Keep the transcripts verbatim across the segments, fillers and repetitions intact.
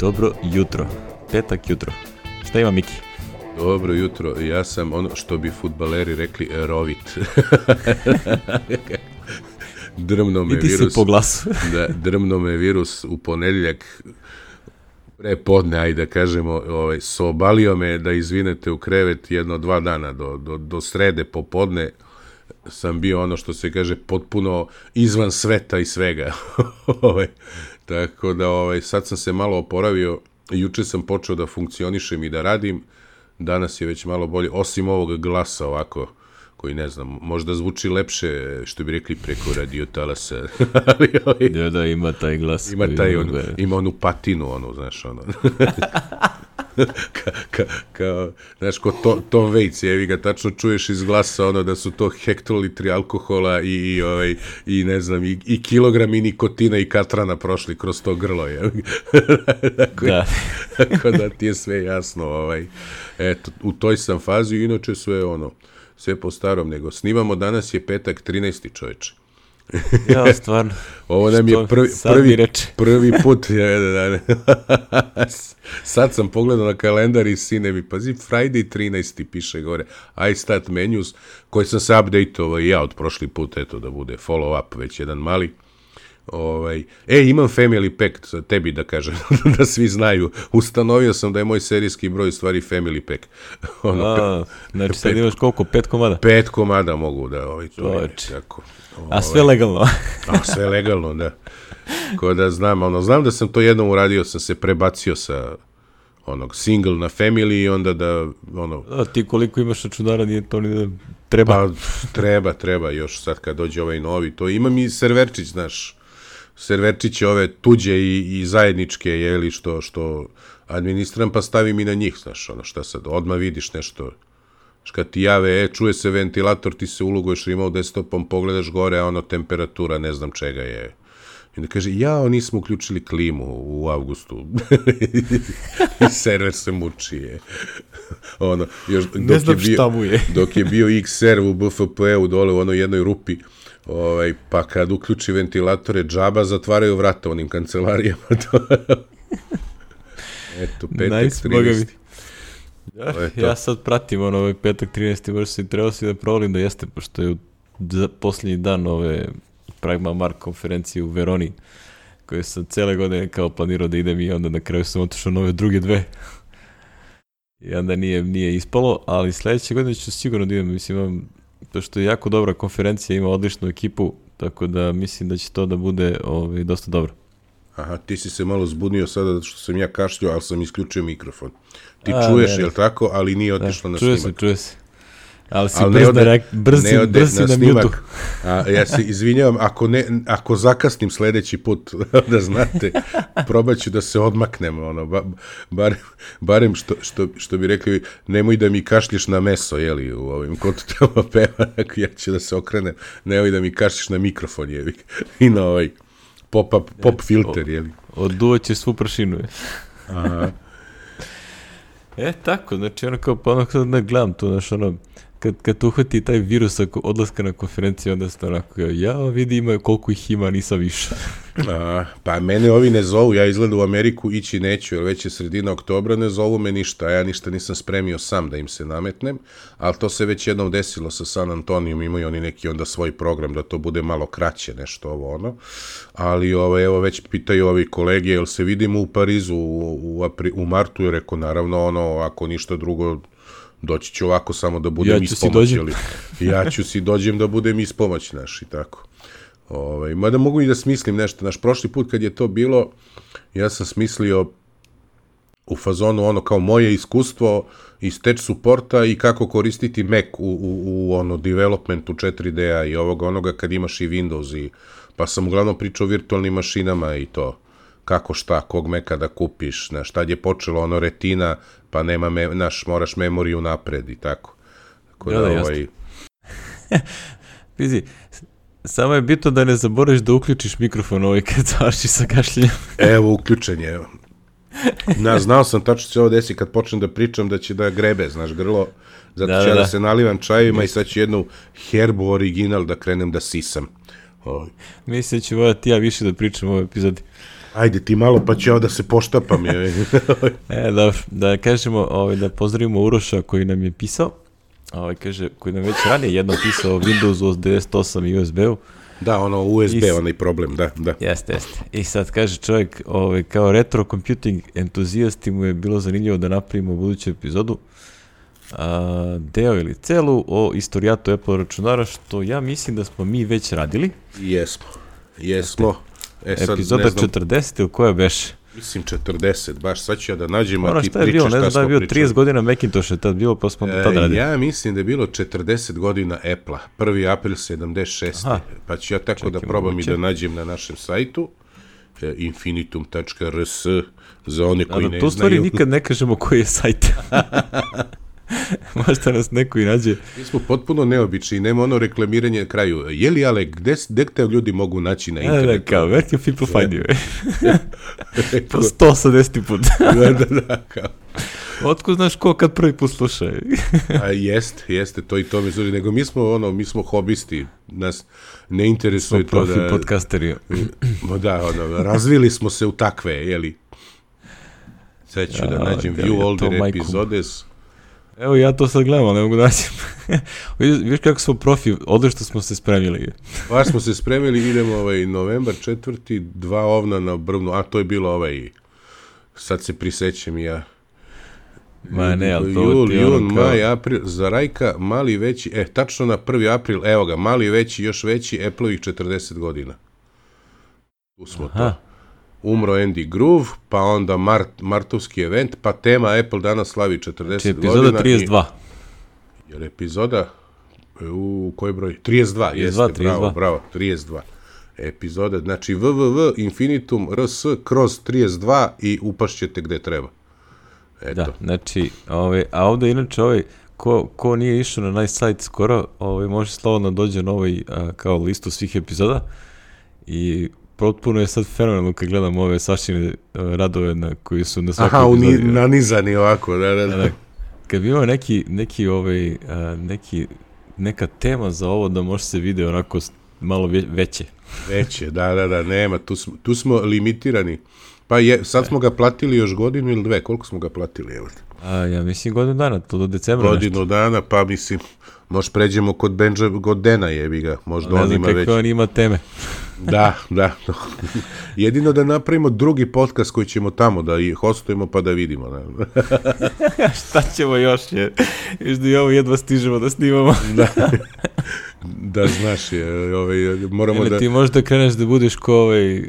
Dobro jutro, petak jutro. Šta ima Miki? Dobro jutro, ja sam ono što bi fudbaleri rekli rovit. Drmno me virus. Po glasu. Da, drmno me virus u ponedjeljak pre podne, ajde da kažemo, ovaj, sobalio me da izvinete u krevet jedno dva dana do, do, do srede popodne. Sam bio ono što se kaže potpuno izvan sveta i svega. ovaj, tako da ovaj, sad sam se malo oporavio, juče sam počeo da funkcionišem i da radim, danas je već malo bolje, osim ovog glasa ovako, koji ne znam, možda zvuči lepše, što bi rekli, preko radio talasa. Ali, ovaj, da, da, ima taj glas. Ima, taj, on, ima onu patinu, onu, znaš, ono. Ka, ka, kao, znaš, ko to, Tom Waits, jevi ga, tačno čuješ iz glasa ono da su to hektolitri alkohola i, i, ovaj, i ne znam, i, i kilogrami nikotina i katrana prošli kroz to grlo, jevi tako, da. Tako da ti je sve jasno, ovaj. Eto, u toj sam fazi, inače sve ono, sve po starom, nego snimamo, danas je petak trinaesti čoveče. Ja, stvarno. Ovo nam je prvi, prvi, prvi put. Sad sam pogledao na kalendar i sine mi, pazi, Friday trinaesti piše gore, I start menus, koji sam se update-ovao i ja od prošli put, eto, da bude follow-up, već jedan mali. Ovaj, e, imam family pack, tebi da kažem, da svi znaju. Ustanovio sam da je moj serijski broj u stvari family pack. Ono, A, znači sad imaš koliko, pet komada? Pet komada mogu da, ovaj, to je tako. Ovaj, a sve legalno? A sve legalno, da. Ko da znam, ono, znam da sam to jednom uradio, sam se prebacio sa onog single na family i onda da, ono... A ti koliko imaš računara, nije to ni da treba? Pa, treba, treba, još sad kad dođe ovaj novi, to imam i serverčić, znaš, serverčiće ove tuđe i, i zajedničke, jeli, što, što administram, pa stavim i na njih, znaš, ono, šta sad, odmah vidiš nešto, kad ti jave, e, čuje se ventilator, ti se uloguješ, imao desktopom, pogledaš gore, a ono, temperatura, ne znam čega je. I onda kaže, jao, nismo uključili klimu u avgustu. I server se muči, je. Ono, još, dok ne znam je bio, šta mu je. Dok je bio X R u B F P-u dole u onoj jednoj rupi, ovaj, pa kad uključi ventilatore, džaba zatvaraju vrata onim kancelarijama. Eto, petak trinaesti. Ja, ja sad pratim ono, ovaj petak trinaesti, možda se trebao si da provalim da jeste, pošto je u posljednji dan ove Pragma Mark konferencije u Veroni, koje sam cele godine kao planirao da idem i onda na kraju sam otišao na ove druge dve. I onda nije, nije ispalo, ali sledeće godine ću sigurno da idem, mislim, imam, pošto je jako dobra konferencija, ima odličnu ekipu, tako da mislim da će to da bude ovaj, dosta dobro. Aha, ti si se malo zbunio sada zato što sam ja kašljio, ali sam isključio mikrofon. Ti A, čuješ, ne, ne. Jel tako, ali nije otišlo na čuje snimak. Se, čuje se. Ali si ali brz, ode, na, brzi, ne brzi na, na snimak. mjutu. A, ja se izvinjavam, ako, ne, ako zakasnim sledeći put, da znate, probat ću da se odmaknem, ono, ba, barem, barem što, što, što bi rekli, nemoj da mi kašljiš na meso, jeli, u ovim kontutama peva, ja ću da se okrenem, nemoj da mi kašljiš na mikrofon, jeli, i na ovaj pop, up, pop filter, jeli. Oduvat će svu prašinu. Aha. E, tako, znači ono kao, pa ono kada ne gledam to, znaš, ono, kad, kad uhvati taj virus odlaska na konferenciju, onda ste onako, ja vidi ima koliko ih ima, nisam više. A, pa mene ovi ne zovu, ja izgleda u Ameriku ići neću, jer već je sredina oktobra, ne zovu me ništa, a ja ništa nisam spremio sam da im se nametnem, ali to se već jednom desilo sa San Antonijom, imaju oni neki onda svoj program da to bude malo kraće, nešto ovo ono, ali ovo, evo već pitaju ovi kolege, jel se vidimo u Parizu u, u, apri, u martu, jer reko naravno ono, ako ništa drugo, doći ću ovako samo da budem ja ispomoć, ali ja ću si dođem da budem ispomoć naš i tako. Ovaj, mada mogu i da smislim nešto. Naš prošli put kad je to bilo, ja sam smislio u fazonu ono kao moje iskustvo iz tech supporta i kako koristiti Mac u, u, u ono developmentu četiri D-a i ovoga onoga kad imaš i Windows i pa sam uglavnom pričao o virtualnim mašinama i to. Kako šta, kog Maca da kupiš, znaš, tad je počelo ono retina, pa nema, me, naš, moraš memoriju napred i tako. Tako da, da, da ovaj... Pizi, samo je bitno da ne zaboraviš da uključiš mikrofon ovaj kad završi sa kašljenjem. Evo, uključen je, evo. Na, znao sam tačno se ovo desi kad počnem da pričam da će da grebe, znaš, grlo, zato da, ću ja da, da se nalivam čajima i sad ću jednu herbu original da krenem da sisam. Mislim da ću vojati ja više da pričam u ovoj epizodi. Ajde ti malo pa ću ja da se poštapam. Je. e, da, da kažemo, ovaj, da pozdravimo Uroša koji nam je pisao, ovaj, kaže, koji nam već ranije jedno pisao o Windowsu devedeset osam i U S B-u. Da, ono U S B, I, onaj problem, da, da. Jeste, jeste. I sad kaže čovjek, ovaj, kao retro computing entuzijasti mu je bilo zanimljivo da napravimo buduću epizodu, a, deo ili celu o istorijatu Apple računara, što ja mislim da smo mi već radili. Jesmo, jesmo. E, sad, epizoda četrdeset ili koja beše? Mislim četrdeset, baš sad ću ja da nađem, ono a ti šta je pričaš bilo, šta smo pričali. Ne znam da je bio trideset godina Macintosh je tad bilo, pa smo e, tad radili. Ja mislim da je bilo četrdeset godina Apple-a, prvi april sedamdeset šeste. Aha. Pa ću ja tako Čekaj, da probam moguće. I da nađem na našem sajtu, e, infinitum tačka r s, za one koji da, ne tu znaju. Tu stvari nikad ne kažemo koji je sajt. Možda nas neko i nađe. Mi smo potpuno neobični, nema ono reklamiranje na kraju. Je li, ale, gde, gde te ljudi mogu naći na internetu? Da, da, kao, where can people find you? Po sto osamdeseti put. da, da, da, kao. Otko znaš ko kad prvi put sluša? A jeste, jeste, to i to mi služi. Nego mi smo, ono, mi smo hobisti, nas ne interesuje to da... Profi podcasteri. Da, ono, razvili smo se u takve, jeli? Sad ću ja, da nađem view ja, older epizodes. Evo ja to sad gledam, ali ne mogu da nađem. Viš kako smo profi, odlično smo se spremili. Baš smo se spremili, idemo ovaj novembar četvrti, dva ovna na brvnu, a to je bilo ovaj, sad se prisećem ja. Ma ne, ali to Jul, ti jun, ono kao... maj, april, za Rajka, mali veći, e, tačno na prvi april, evo ga, mali veći, još veći, Apple-ovih četrdeset godina. Tu smo Aha. to. Umro Andy Groove, pa onda Mart, martovski event, pa tema Apple danas slavi četrdeset znači, godina. epizoda trideset dva. I, jer epizoda, u koji broj? trideset dva, trideset dva, jeste, trideset dva. bravo, bravo, trideset dva. Epizoda, znači www, infinitum, rs, kroz trideset dva i upašćete gde treba. Eto. Da, znači, ovaj, a ovde inače ovaj, ko, ko nije išao na nice sajt skoro, ovaj, može slobodno dođe na ovaj, a, kao listu svih epizoda i potpuno je sad fenomenalno kad gledam ove Sašine radove na koji su na svakoj Aha, epizodi. Aha, nanizani ovako, da, da, da. da kad bi imao neki, neki, ovaj, a, neki, neka tema za ovo da može se vide onako malo veće. Veće, da, da, da, nema, tu smo, tu smo limitirani. Pa je, sad smo ga platili još godinu ili dve, koliko smo ga platili, evo. A, ja mislim godinu dana, to do decembra godinu nešto. dana, pa mislim, možda pređemo kod Benja, kod Dena jebi ga, možda on ima već. Ne znam kako on ima teme. Da, da. Jedino da napravimo drugi podcast koji ćemo tamo da i hostujemo pa da vidimo. Da. Šta ćemo još? Je? Još da i ovo jedva stižemo da snimamo. Da, da znaš, je, ovaj, moramo Ele, da... Ti možda kreneš da budeš ko ovaj,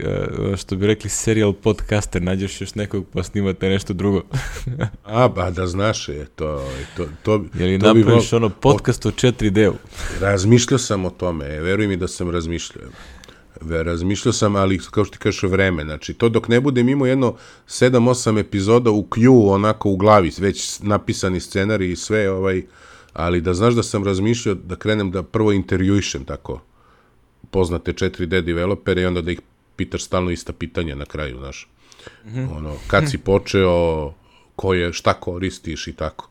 što bi rekli serial podcaster, nađeš još nekog pa snimate nešto drugo. A, ba, da znaš, je, to... to, to je li to napraviš bi... ono podcast o četiri D-u? Razmišljao sam o tome, veruj mi da sam razmišljao. Razmišljao sam, ali kao što ti kažeš vreme, znači to dok ne budem imao jedno sedam osam epizoda u Q onako u glavi, već napisani scenarij i sve, ovaj, ali da znaš da sam razmišljao da krenem da prvo intervjuišem tako poznate četiri D developere i onda da ih pitaš stalno ista pitanja na kraju, znaš. Mm-hmm. Ono, kad si počeo, ko je, šta koristiš i tako.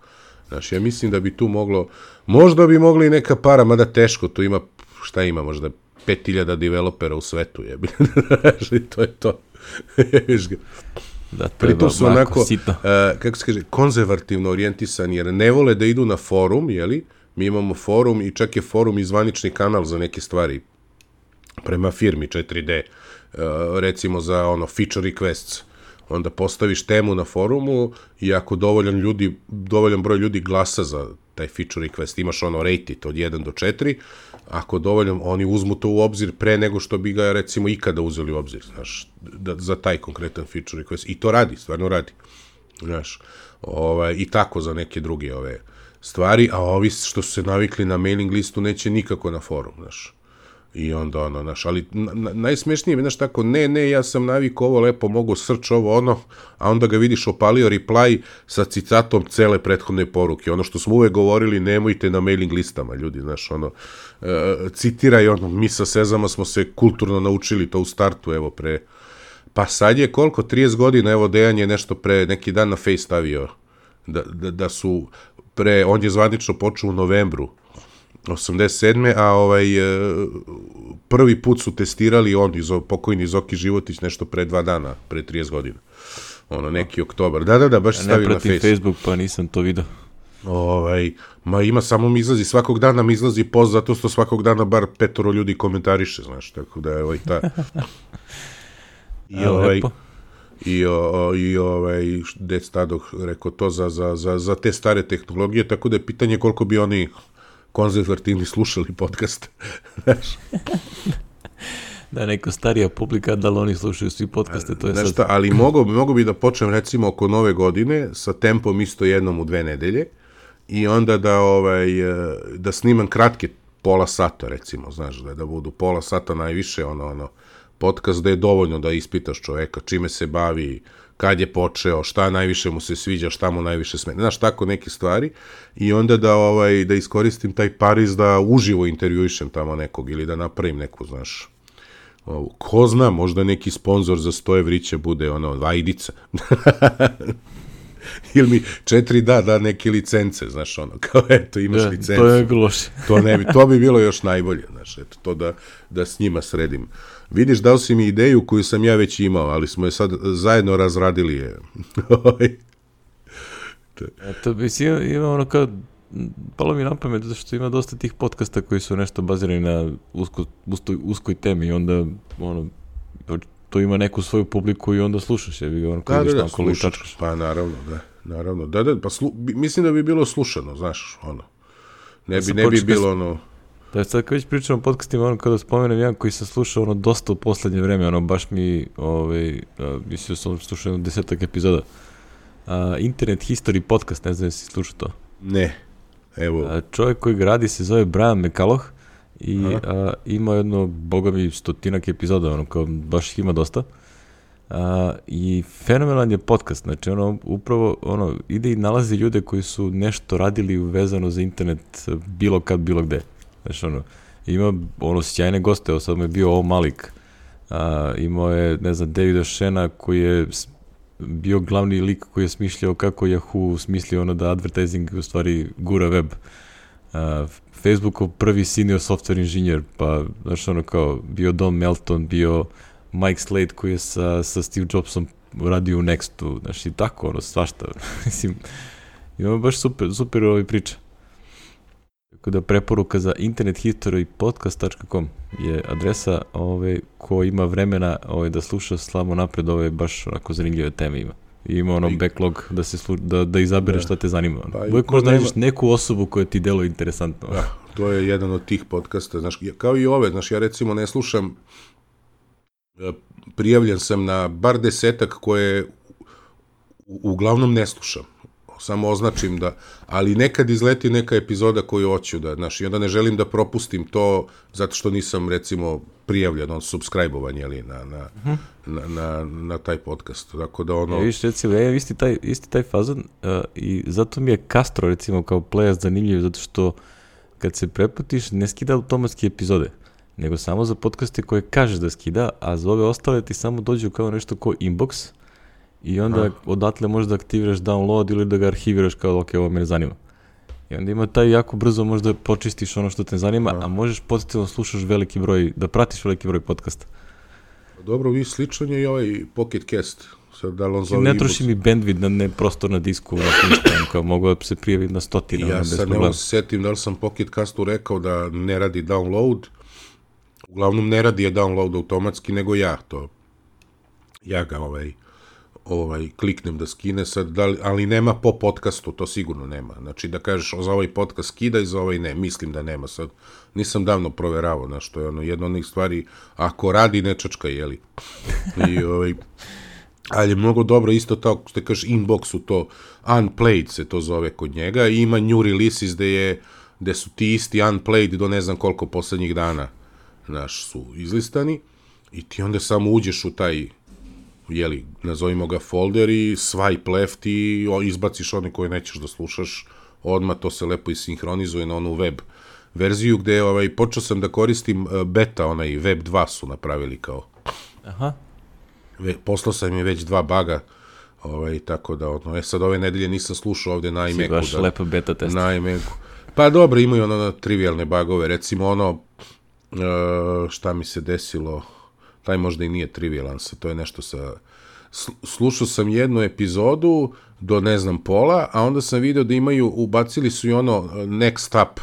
Znači, ja mislim da bi tu moglo, možda bi mogli i neka para, mada teško, tu ima, šta ima, možda pet hiljada developera u svetu, je. To je to. Da, pritom su onako, uh, kako se kaže, konzervativno orijentisani, jer ne vole da idu na forum, jeli? Mi imamo forum i čak je forum i zvanični kanal za neke stvari prema firmi četiri D, uh, recimo za ono feature requests. Onda postaviš temu na forumu i ako dovoljan ljudi, dovoljan broj ljudi glasa za taj feature request, imaš ono rate it od jedan do četiri, ako dovoljno, oni uzmu to u obzir pre nego što bi ga, recimo, ikada uzeli u obzir, znaš, da, za taj konkretan feature request. I to radi, stvarno radi, znaš, ovaj, i tako za neke druge ove stvari, a ovi što su se navikli na mailing listu neće nikako na forum, znaš. I onda ono, znaš, ali na, najsmešnije je, znaš, tako, ne, ne, ja sam navikao ovo lepo, mogu search ovo, ono, a onda ga vidiš opalio reply sa citatom cele prethodne poruke. Ono što smo uvek govorili, nemojte na mailing listama, ljudi, znaš, ono, e, citiraj, ono, mi sa Sezama smo se kulturno naučili to u startu, evo, pre, pa sad je koliko, trideset godina, evo, Dejan je nešto pre, neki dan na Face stavio, da, da, da su pre, on je zvanično počeo u novembru, osamdeset sedme a ovaj, prvi put su testirali on, iz, pokojni Zoki Životić, nešto pre dva dana, pre trideset godina. Ono, neki oktobar. Da, da, da, baš se stavio na Facebook. Ne pratim Facebook, pa nisam to vidio. Ovaj, ma ima, samo mi izlazi, svakog dana mi izlazi post, zato što svakog dana bar petoro ljudi komentariše, znaš, tako da je ovaj ta... I ovaj... I, o, i ovaj, Dec Tadoh rekao to za, za, za, za te stare tehnologije, tako da je pitanje koliko bi oni konzervativni slušali podcast. Da, neka starija publika, da li oni slušaju svi podcaste, to je sad... Šta, ali mogo, mogo bi da počnem recimo oko nove godine sa tempom isto jednom u dve nedelje i onda da, ovaj, da snimam kratke pola sata recimo, znaš, da, da budu pola sata najviše, ono, ono, podcast da je dovoljno da ispitaš čoveka, čime se bavi, kad je počeo, šta najviše mu se sviđa, šta mu najviše smeta, znaš, tako neke stvari i onda da, ovaj, da iskoristim taj Pariz da uživo intervjuišem tamo nekog ili da napravim neku, znaš, ovo, ko zna, možda neki sponsor za sto evrića bude, ono, vajdica. Ili mi četiri da, da neke licence, znaš, ono, kao, eto, imaš da, licencu. To je loše. to, ne bi, to bi bilo još najbolje, znaš, eto, to da, da s njima sredim. Vidiš, dao si mi ideju koju sam ja već imao, ali smo je sad zajedno razradili je. Eto, mislim, ima ono kao, palo mi na pamet, zato što ima dosta tih podcasta koji su nešto bazirani na usko, uskoj, uskoj temi i onda, ono, to ima neku svoju publiku i onda slušaš, je bi ono, da, da, da, slušaš, pa naravno, da, naravno, da, da, pa slu, mislim da bi bilo slušano, znaš, ono, ne bi, ne bi bilo, ono... Da, sad kad već pričam o podcastima, ono, kada spomenem jedan koji sam slušao, ono, dosta u poslednje vreme, ono, baš mi, ovaj, mislio sam slušao jedno desetak epizoda, a, Internet History podcast, ne znam da si slušao to. Ne, evo. A, čovjek koji ga radi se zove Brian McCullough i a, ima jedno, boga mi, stotinak epizoda, ono, kao, baš ih ima dosta. A, i fenomenalan je podcast, znači ono upravo ono ide i nalazi ljude koji su nešto radili vezano za internet bilo kad, bilo gde. Znači ono, ima ono sjajne goste, evo sad mu je bio O Malik, a, imao je, ne znam, Davida Shena koji je bio glavni lik koji je smišljao kako Yahoo smislio ono da advertising u stvari gura web. Uh, Facebookov prvi senior software inženjer, pa znači ono kao bio Don Melton, bio Mike Slade koji je sa, sa Steve Jobsom radio u Nextu, znači i tako ono svašta. Mislim, imamo baš super, super ovaj priča. Tako da preporuka za internet history podcast dot com je adresa ove, ko ima vremena ove, da sluša slamo napred, ove baš onako zanimljive teme ima. I ima ono backlog da se slu, da, da izabere šta te zanima. Pa, uvijek možda nađeš neku osobu koja ti deluje interesantno. Da, to je jedan od tih podcasta, znaš, kao i ove, znaš, ja recimo ne slušam, prijavljen sam na bar desetak koje uglavnom ne slušam. Samo označim da, ali nekad izleti neka epizoda koju hoću da, znaš, i onda ne želim da propustim to zato što nisam, recimo, prijavljen, on subscribe-ovan, jeli, na, na, uh-huh. na, na, na taj podcast, tako da ono... Ja, viš, recimo, ja isti taj, isti taj fazon uh, i zato mi je Castro, recimo, kao play zanimljiv, zato što kad se preputiš, ne skida automatski epizode, nego samo za podcaste koje kažeš da skida, a za ove ostale ti samo dođu kao nešto ko inbox, i onda ah. odatle možeš da aktiviraš download ili da ga arhiviraš kao ok, ovo me zanima. I onda ima taj jako brzo možda počistiš ono što te zanima, ah. a možeš potencijalno slušaš veliki broj, da pratiš veliki broj podcasta. Dobro, vi sličan je i ovaj Pocket Cast. Sad, da li on zove ne troši mi bandwidth na ne prostor na disku, na ništa, kao mogu da se prijavi na stotine. Ja sad ne mogu se setim da li sam Pocket Castu rekao da ne radi download. Uglavnom ne radi je download automatski, nego ja to. Ja ga ovaj... ovaj, kliknem da skine sad, da li, ali nema po podcastu, to sigurno nema. Znači da kažeš za ovaj podcast skidaj, za ovaj ne, mislim da nema sad. Nisam davno proveravao, znaš, to je ono, jedna od onih stvari, ako radi, ne čačka, jeli. I, ovaj, ali je mnogo dobro, isto tako, što kažeš, inboxu to, unplayed se to zove kod njega, i ima new releases gde je, gde su ti isti unplayed do ne znam koliko poslednjih dana, znaš, su izlistani, i ti onda samo uđeš u taj, jeli, nazovimo ga folder i swipe left i izbaciš one koje nećeš da slušaš, odmah to se lepo isinhronizuje na onu web verziju gde ovaj, počeo sam da koristim beta, onaj web dva su napravili kao. Aha. Ve, poslao sam mi već dva baga, ovaj, tako da, ono, e sad ove nedelje nisam slušao ovde na iMacu. Si baš da, lepo beta test. Na iMacu. Pa dobro, imaju ono trivialne bagove, recimo ono, šta mi se desilo, taj možda i nije trivialan, to je nešto sa... Slušao sam jednu epizodu do ne znam pola, a onda sam video da imaju, ubacili su i ono next up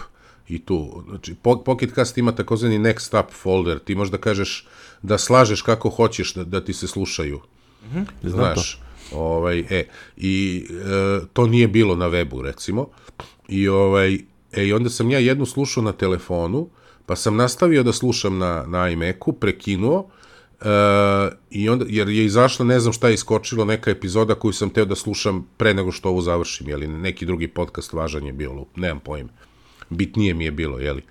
i tu. Znači, Pocket Cast ima takozvani next up folder, ti možda kažeš da slažeš kako hoćeš da, da ti se slušaju. Mm-hmm, znaš, ovaj, e, i e, to nije bilo na webu, recimo. I, ovaj, e, i onda sam ja jednu slušao na telefonu, pa sam nastavio da slušam na, na iMacu, prekinuo, Uh, i onda, jer je izašla, ne znam šta je iskočilo, neka epizoda koju sam teo da slušam pre nego što ovo završim, jeli, neki drugi podcast važan je bio, nemam pojma, bitnije mi je bilo, jeli,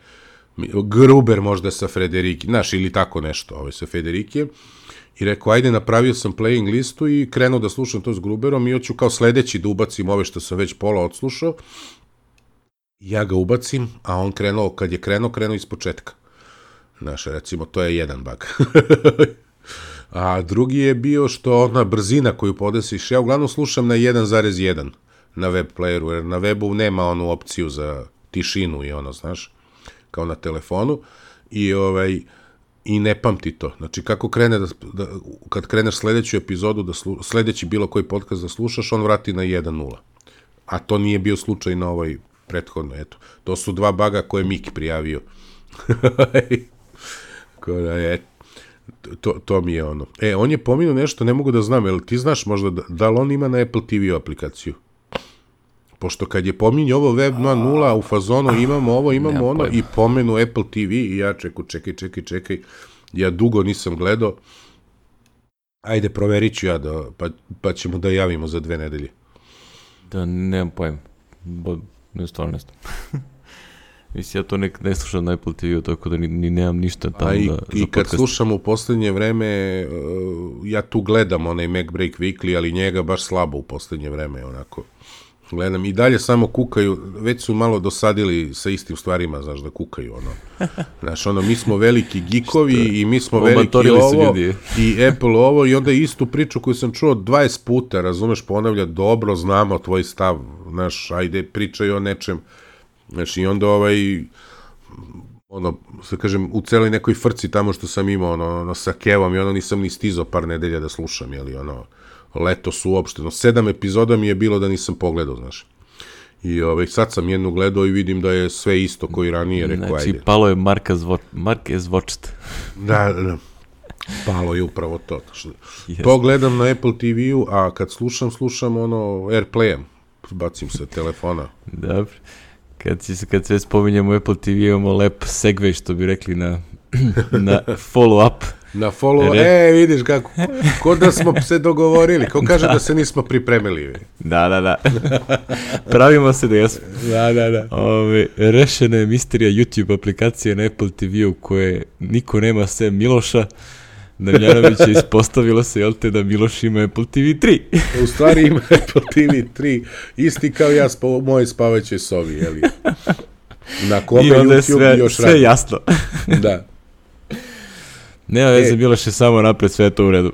Gruber možda sa Frederiki, znaš, ili tako nešto, ovaj, sa Frederike, i rekao, ajde, napravio sam playing listu i krenuo da slušam to s Gruberom i hoću kao sledeći da ubacim ove što sam već pola odslušao, ja ga ubacim, a on krenuo, kad je krenuo, krenuo iz početka. Znaš, recimo, to je jedan bug. A drugi je bio što ona brzina koju podesiš, ja uglavnom slušam na jedan zarez jedan na web playeru, jer na webu nema onu opciju za tišinu i ono, znaš, kao na telefonu, i ovaj, i ne pamti to. Znači, kako krene da, da kad kreneš sledeću epizodu, da slu, sledeći bilo koji podcast da slušaš, on vrati na jedan nula. A to nije bio slučaj na ovoj prethodno, eto. To su dva baga koje je Miki prijavio. Da je, to, to mi je ono. E, on je pominuo nešto, ne mogu da znam, jel ti znaš možda da, da li on ima na Apple T V aplikaciju? Pošto kad je pominio ovo web dva nula u fazonu imamo ovo, imamo ono, i pomenu Apple T V i ja čekaj, čekaj, čekaj, čekaj, ja dugo nisam gledao, ajde proverit ću ja, da, pa, pa ćemo da javimo za dve nedelje. Da, nemam pojma, bo, ne stvarno ne znam. Mislim, ja to nek, ne slušam na Apple T V-u, tako da ni, ni nemam ništa tamo i, da, za i kad podcast. slušam u poslednje vreme, uh, ja tu gledam onaj MacBreak Weekly, ali njega baš slabo u poslednje vreme, onako. Gledam, i dalje samo kukaju, već su malo dosadili sa istim stvarima, znaš, da kukaju, ono. Znaš, ono, mi smo veliki geekovi i mi smo veliki ovo, i Apple ovo, i onda istu priču koju sam čuo dvadeset puta, razumeš, ponavlja, dobro, znamo tvoj stav, znaš, ajde, pričaj o nečem. Znači, i onda ovaj, ono, sad kažem, u celoj nekoj frci tamo što sam imao, ono, ono sa Kevom, i ono, nisam ni stizao par nedelja da slušam, jeli, ono, letos uopšteno. Sedam epizoda mi je bilo da nisam pogledao, znaš. I ovaj, sad sam jednu gledao i vidim da je sve isto koji ranije, rekao, znači, ajde. Znači, palo je Marka Zvo... Mark Zvočt. Da, da, palo je upravo to. Yes. To gledam na Apple T V-u, a kad slušam, slušam, ono, Airplay-em. Bacim se telefona. Dobro. Kad, si, kad sve spominjamo Apple T V, imamo lep segway, što bi rekli, na, na follow-up. Na follow-up, Re... e, vidiš kako, ko da smo se dogovorili, ko kaže da, da se nismo pripremili. Da, da, da. Pravimo se da jesmo. Da, da, da. Ove, rešena je misterija YouTube aplikacije na Apple T V-u koje niko nema sem Miloša. Damjanović je ispostavilo se, jel te, da Miloš ima Apple T V tri. U stvari ima Apple T V tri, isti kao ja u mojoj spavaćoj sobi, jeli? Na kome YouTube sve, još sve radi. Sve jasno. Da. Nema veze, e, Miloš je samo napred, sve to u redu.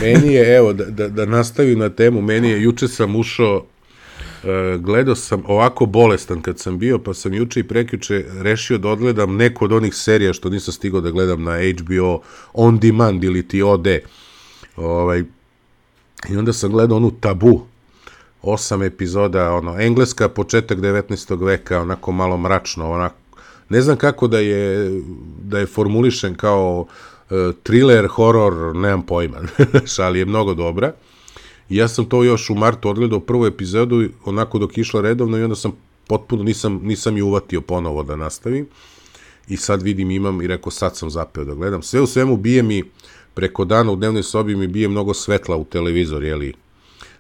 Meni je, evo, da, da, da nastavim na temu, meni je, juče sam ušao, uh, gledao sam ovako bolestan kad sam bio, pa sam juče i prekjuče rešio da odgledam neku od onih serija što nisam stigao da gledam na H B O On Demand ili ti O D. Ovaj, i onda sam gledao onu Tabu, osam epizoda, ono, engleska, početak devetnaestog veka, onako malo mračno, onako, ne znam kako da je, da je formulišen kao uh, thriller, horor, nemam pojma, ali je mnogo dobra. I ja sam to još u martu odgledao prvu epizodu, onako dok išla redovno, i onda sam potpuno, nisam, nisam ju uvatio ponovo da nastavim. I sad vidim, imam, i rekao, sad sam zapeo da gledam. Sve u svemu bije mi, preko dana u dnevnoj sobi mi bije mnogo svetla u televizor, jeli.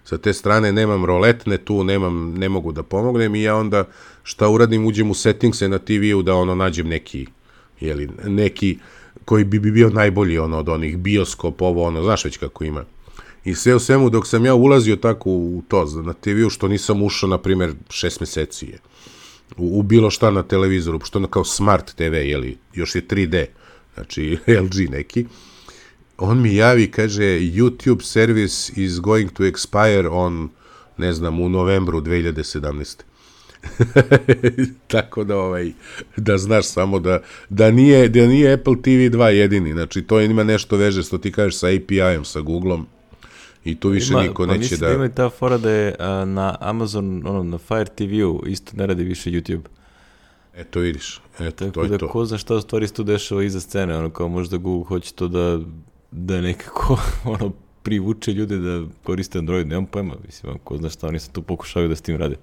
Sa te strane nemam roletne tu, nemam, ne mogu da pomognem, i ja onda šta uradim, uđem u settingse na T V-u da ono nađem neki, jeli, neki koji bi bio najbolji, ono, od onih bioskop, ovo, ono, znaš već kako ima. I sve u svemu, dok sam ja ulazio tako u to na T V-u, što nisam ušao, na primjer, šest meseci je, u, u bilo šta na televizoru, što ono kao Smart T V, jeli, još je tri D, znači L G neki, on mi javi, kaže, YouTube service is going to expire on, ne znam, u novembru dve hiljade sedamnaeste. Tako da ovaj da znaš samo da da nije da nije Apple T V dva jedini, znači to ima nešto veže što ti kažeš sa A P I-em sa Googlom i tu više ima, niko pa neće da... Pa ima i ta fora da je a, na Amazon, ono, na Fire T V-u isto ne radi više YouTube. Eto vidiš, eto, tako to je da, to. Ko zna šta u stvari se tu dešava iza scene, ono kao možda Google hoće to da, da nekako ono, privuče ljude da koriste Android, nemam pojma, mislim, ko zna šta oni se tu pokušavaju da s tim rade.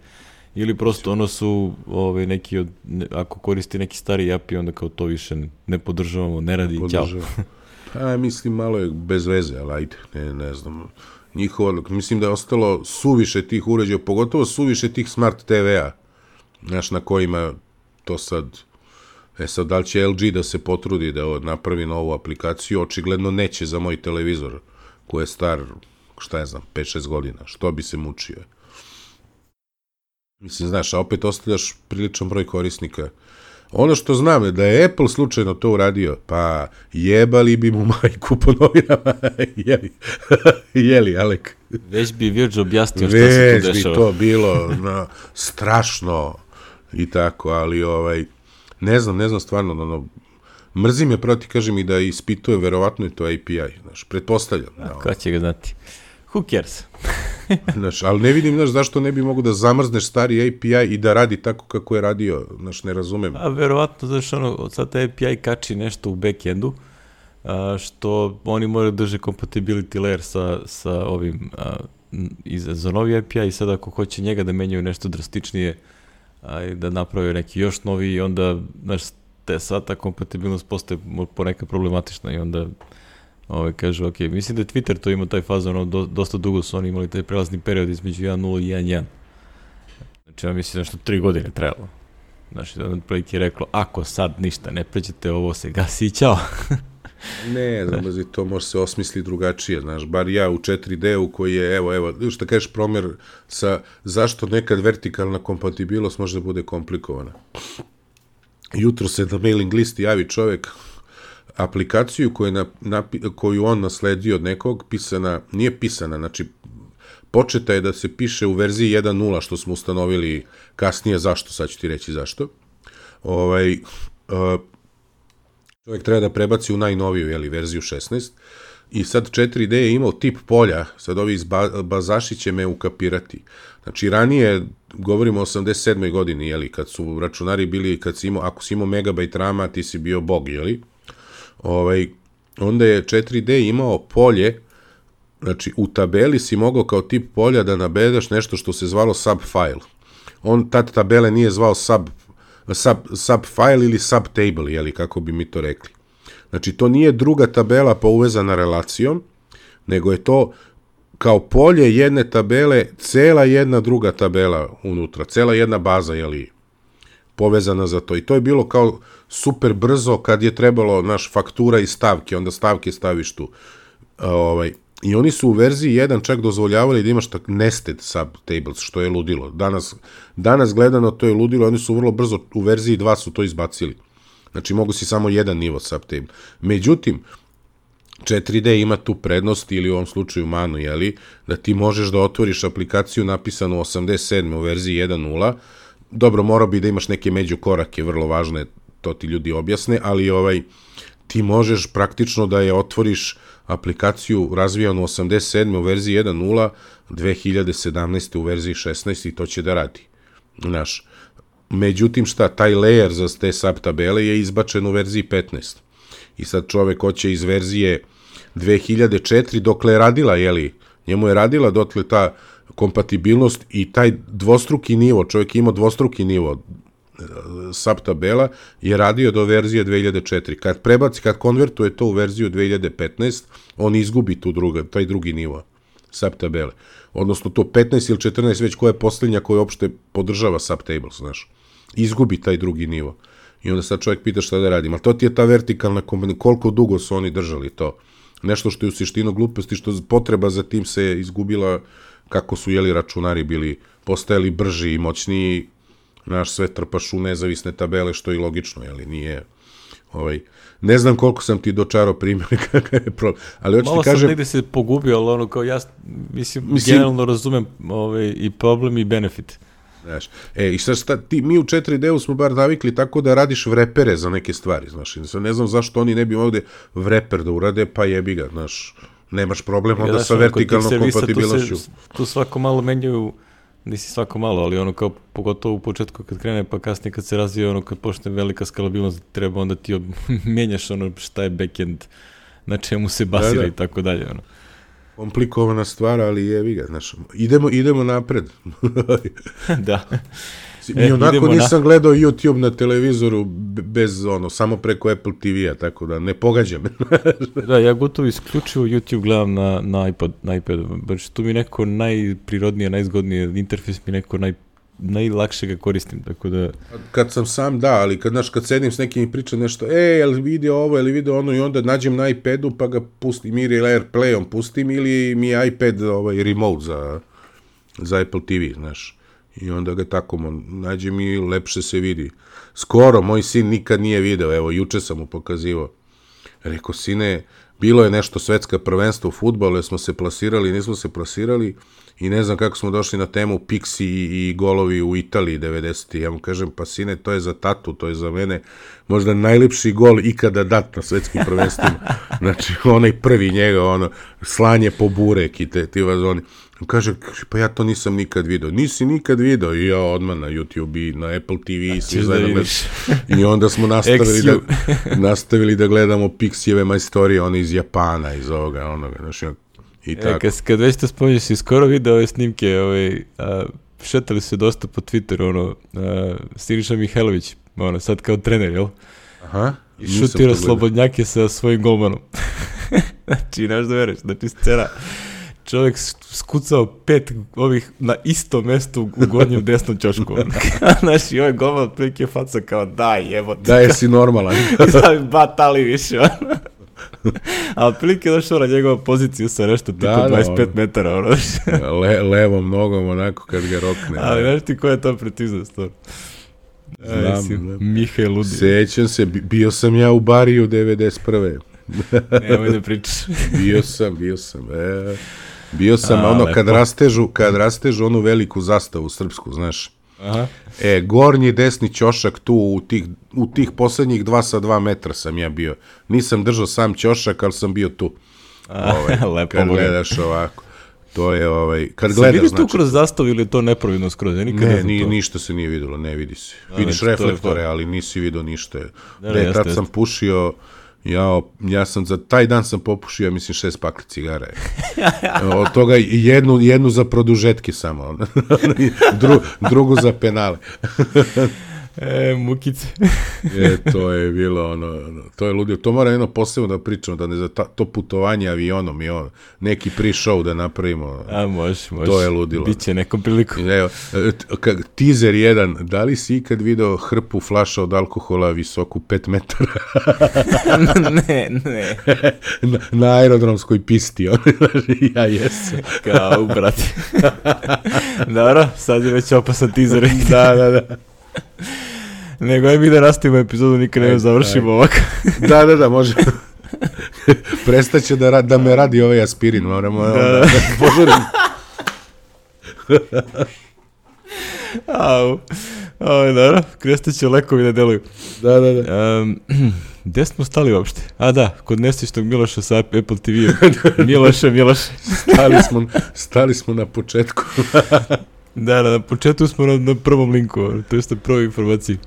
Ili prosto ono su ovaj, neki od, ne, ako koristi neki stari A P I, onda kao to više ne podržavamo, ne radi, ćao. Pa, mislim, malo je bez veze, ali ajde, ne, ne znam. Njihovo, mislim da je ostalo suviše tih uređaja, pogotovo suviše tih smart T V-a, znaš, na kojima to sad, e sad, da li će L G da se potrudi da napravi novu aplikaciju, očigledno neće za moj televizor, koji je star, šta je znam, pet šest godina, što bi se mučio. Mislim, znaš, a opet ostavljaš priličan broj korisnika. Ono što znam je da je Apple slučajno to uradio, pa jebali bi mu majku po novinama, jeli, jeli, Alek. Već bi Virgil objasnio šta se tu dešava. Već bi to bilo no, strašno i tako, ali ovaj, ne znam, ne znam stvarno, ono, mrzim je proti, kažem i da ispituje, verovatno je to A P I, znaš, pretpostavljam. A, ko će ga znati? Who cares? Znaš, ali ne vidim, znaš, zašto ne bi mogu da zamrzneš stari A P I i da radi tako kako je radio, znaš, ne razumem. A verovatno, znaš, ono, sad A P I kači nešto u backendu, a, što oni moraju drže compatibility layer sa, sa ovim, a, iz, za novi A P I i sad ako hoće njega da menjaju nešto drastičnije, a, da naprave neki još novi i onda, znaš, te sad ta kompatibilnost postaje ponekad problematična i onda Ove, kažu, ok, mislim da je Twitter to imao taj fazon, ono, do, dosta dugo su oni imali taj prelazni period između jedan nula i jedan jedan. Znači, ja mislim da što tri godine trebalo. Znači, da nam prilike je reklo, ako sad ništa ne pređete, ovo se gasi i ćao. Ne, znam, da to može se osmisliti drugačije, znaš, bar ja u četiri D-u koji je, evo, evo, šta kažeš promjer sa zašto nekad vertikalna kompatibilnost može da bude komplikovana. Jutro se na mailing listi javi čovek, aplikaciju koju, na, na, koju on nasledio od nekog, pisana, nije pisana, znači početa je da se piše u verziji jedan nula, što smo ustanovili kasnije, zašto, sad ću ti reći zašto. Ovaj, uh, čovjek treba da prebaci u najnoviju, jeli, verziju šesnaest, i sad četiri D je imao tip polja, sad ovi iz bazaši će me ukapirati. Znači, ranije, govorimo o osamdeset sedmoj godini, jeli, kad su računari bili, kad si imao, ako si imao megabajt rama, ti si bio bog, jeli, Ovaj, onda je četiri D imao polje, znači u tabeli si mogao kao tip polja da navedeš nešto što se zvalo subfile. On tad tabele nije zvao sub, sub, subfile ili subtable, jeli, kako bi mi to rekli. Znači to nije druga tabela pa uvezana relacijom, nego je to kao polje jedne tabele, cela jedna druga tabela unutra, cela jedna baza, jeli, povezana za to. I to je bilo kao super brzo kad je trebalo naš faktura i stavke, onda stavke staviš tu. Ovaj, i oni su u verziji jedan čak dozvoljavali da imaš tak nested subtables, što je ludilo. Danas, danas gledano to je ludilo, oni su vrlo brzo u verziji dva su to izbacili. Znači mogu si samo jedan nivo subtable. Međutim, četiri D ima tu prednost ili u ovom slučaju manu, jeli, da ti možeš da otvoriš aplikaciju napisanu u osamdeset sedmoj u verziji jedan nula. Dobro, morao bi da imaš neke međukorake, vrlo važne, to ti ljudi objasne, ali ovaj, ti možeš praktično da je otvoriš aplikaciju razvijanu u osamdeset sedmoj u verziji jedan nula, dve hiljade sedamnaeste u verziji šesnaest i to će da radi. Znaš, međutim šta, taj layer za te subtabele je izbačen u verziji petnaest. I sad čovek hoće iz verzije dve hiljade četiri, dokle je radila, jeli, njemu je radila dotle ta kompatibilnost i taj dvostruki nivo, čovjek imao dvostruki nivo subtabela, je radio do verzije dve hiljade četiri. Kad prebaci, kad konvertuje to u verziju dve hiljade petnaest, on izgubi tu druga, taj drugi nivo subtabele. Odnosno to petnaest ili četrnaest, već koja je posljednja koja uopšte podržava subtables, znaš. Izgubi taj drugi nivo. I onda sad čovjek pita šta da radim. Ali to ti je ta vertikalna kombinacija, koliko dugo su oni držali to. Nešto što je u suštini gluposti, što potreba za tim se izgubila kako su, jeli, računari bili, postajali brži i moćniji, naš sve trpaš u nezavisne tabele, što je i logično, jeli, nije, ovaj, ne znam koliko sam ti dočarao primjer, kakav je problem, ali hoću ti kažem... Malo sam negde se pogubio, ali ono, kao ja, mislim, mislim generalno razumem ovaj, i problem i benefit. Znaš, e, i sad šta, ti, mi u četiri D-u smo bar navikli tako da radiš vrepere za neke stvari, znaš, i sad ne znam zašto oni ne bi ovde vreper da urade, pa jebi ga, znaš, nemaš problem onda ja, sa vertikalnom kompatibilnošću. Tu, tu svako malo menjaju, nisi svako malo, ali ono kao, pogotovo u početku kad krene, pa kasnije kad se razvije, ono kad počne velika skalabilnost, treba onda ti ob... menjaš ono šta je backend, na čemu se basira da, da. I tako dalje, ono. Komplikovana stvar, ali jebi ga, znaš, idemo, idemo napred. Da. I e, onako nisam na... gledao YouTube na televizoru bez, ono, samo preko Apple T V-a, tako da ne pogađa me. Da, ja gotovo isključivo YouTube gledam na, na iPod, na iPadu, baš tu mi neko najprirodnije, najzgodnije, interfejs mi neko naj, najlakše ga koristim, tako da... Kad sam sam, da, ali kad, znaš, kad sedim s nekim i pričam nešto, e, je li video ovo, je li video ono, i onda nađem na iPadu pa ga pustim, ili AirPlayom pustim, ili mi je iPad ovaj, remote za, za Apple T V, znaš. I onda ga tako nađem i lepše se vidi. Skoro, moj sin nikad nije video, evo, juče sam mu pokazivao. Rekao, sine, bilo je nešto svetska prvenstva u fudbalu, smo se plasirali, nismo se plasirali, i ne znam kako smo došli na temu Pixi i, i golovi u Italiji devedesetih. Ja mu kažem, pa sine, to je za tatu, to je za mene možda najlepši gol ikada dat na svetskim prvenstvima. Znači, onaj prvi njega, ono, slanje po burek i te, ti vazoni. Kaže, pa ja to nisam nikad vidio. Nisi nikad vidio? I ja odmah na YouTube i na Apple T V i svi zajedno. I onda smo nastavili da, nastavili da gledamo Pixijeve majstorije, one iz Japana, iz ovoga, onoga, znači, i tako. E, kad, kad već to spominješ, si skoro vidio ove snimke, ovaj, a, šetali se dosta po Twitteru, ono, a, Siniša Mihajlović, ono, sad kao trener, jel? Aha. I šutira slobodnjake sa svojim golmanom. Znači, znaš da veruješ, znači scena, čovjek skucao pet ovih na isto mesto u gornjem desnom ćošku. Znaš, i ovaj golman otprilike faca kao, daj, evo ti. Daj, si normalan. Daj, batali više, ono. A otprilike došao na njegova poziciju sa nešto tipa da, dvadeset pet ono. Metara. Ono. Le, levom nogom onako kad ga rokne. Ali znaš ti koja je to preciznost? Znam, znam. Mihaj Ludi. Sećam se, bio sam ja u Bariju devedeset prve. Nemoj da pričaš. bio sam, bio sam. E, bio sam, A, ono, lepo. kad rastežu, kad rastežu onu veliku zastavu srpsku, znaš. Aha. E, gornji desni ćošak tu u tih, u tih poslednjih dva sa dva metra sam ja bio. Nisam držao sam ćošak, ali sam bio tu. A, ovaj, lepo. Kad gledaš ovako. To je ovaj, kad gledaš, vidiš znači... tu kroz zastavu ili je to nepravilno skroz? Ja nikad ne, ne ni, to. ništa se nije videlo, ne vidi se. A, Vidiš znači, reflektore, ali nisi vidio ništa. Ne, ne, ne, tad jeste, sam pušio, ja, ja sam za taj dan sam popušio, mislim, šest pakli cigara. Od toga jednu, jednu za produžetke samo. Dru, drugu za penale. E, mukice. e, to je bilo ono, to je ludio. To mora jedno posebno da pričamo, da ne za ta, to putovanje avionom i ono, neki pre-show da napravimo. A, može, može. To je ludilo. Biće nekom priliku. Evo, teaser jedan, da li si ikad video hrpu flaša od alkohola visoku pet metara? ne, ne. na, na aerodromskoj pisti, ono, ja jesam. Kao, brate. Dobro, sad je već opasan teaser. da, da, da. Nego aj mi da nastavimo epizodu, nikad ne završimo ovako. da, da, da, može. Prestaće da, ra- da me radi ovaj aspirin, moramo da, da, da požurim. Au, au, dobro, krestaće lekovi da deluju. Da, da, da. Um, gde smo stali uopšte? A da, kod nesvištog Miloša sa Apple T V-om. Miloše, Miloše. stali, smo, stali smo na početku. Da, na početku smo na, na prvom linku, to je na prvoj informaciji.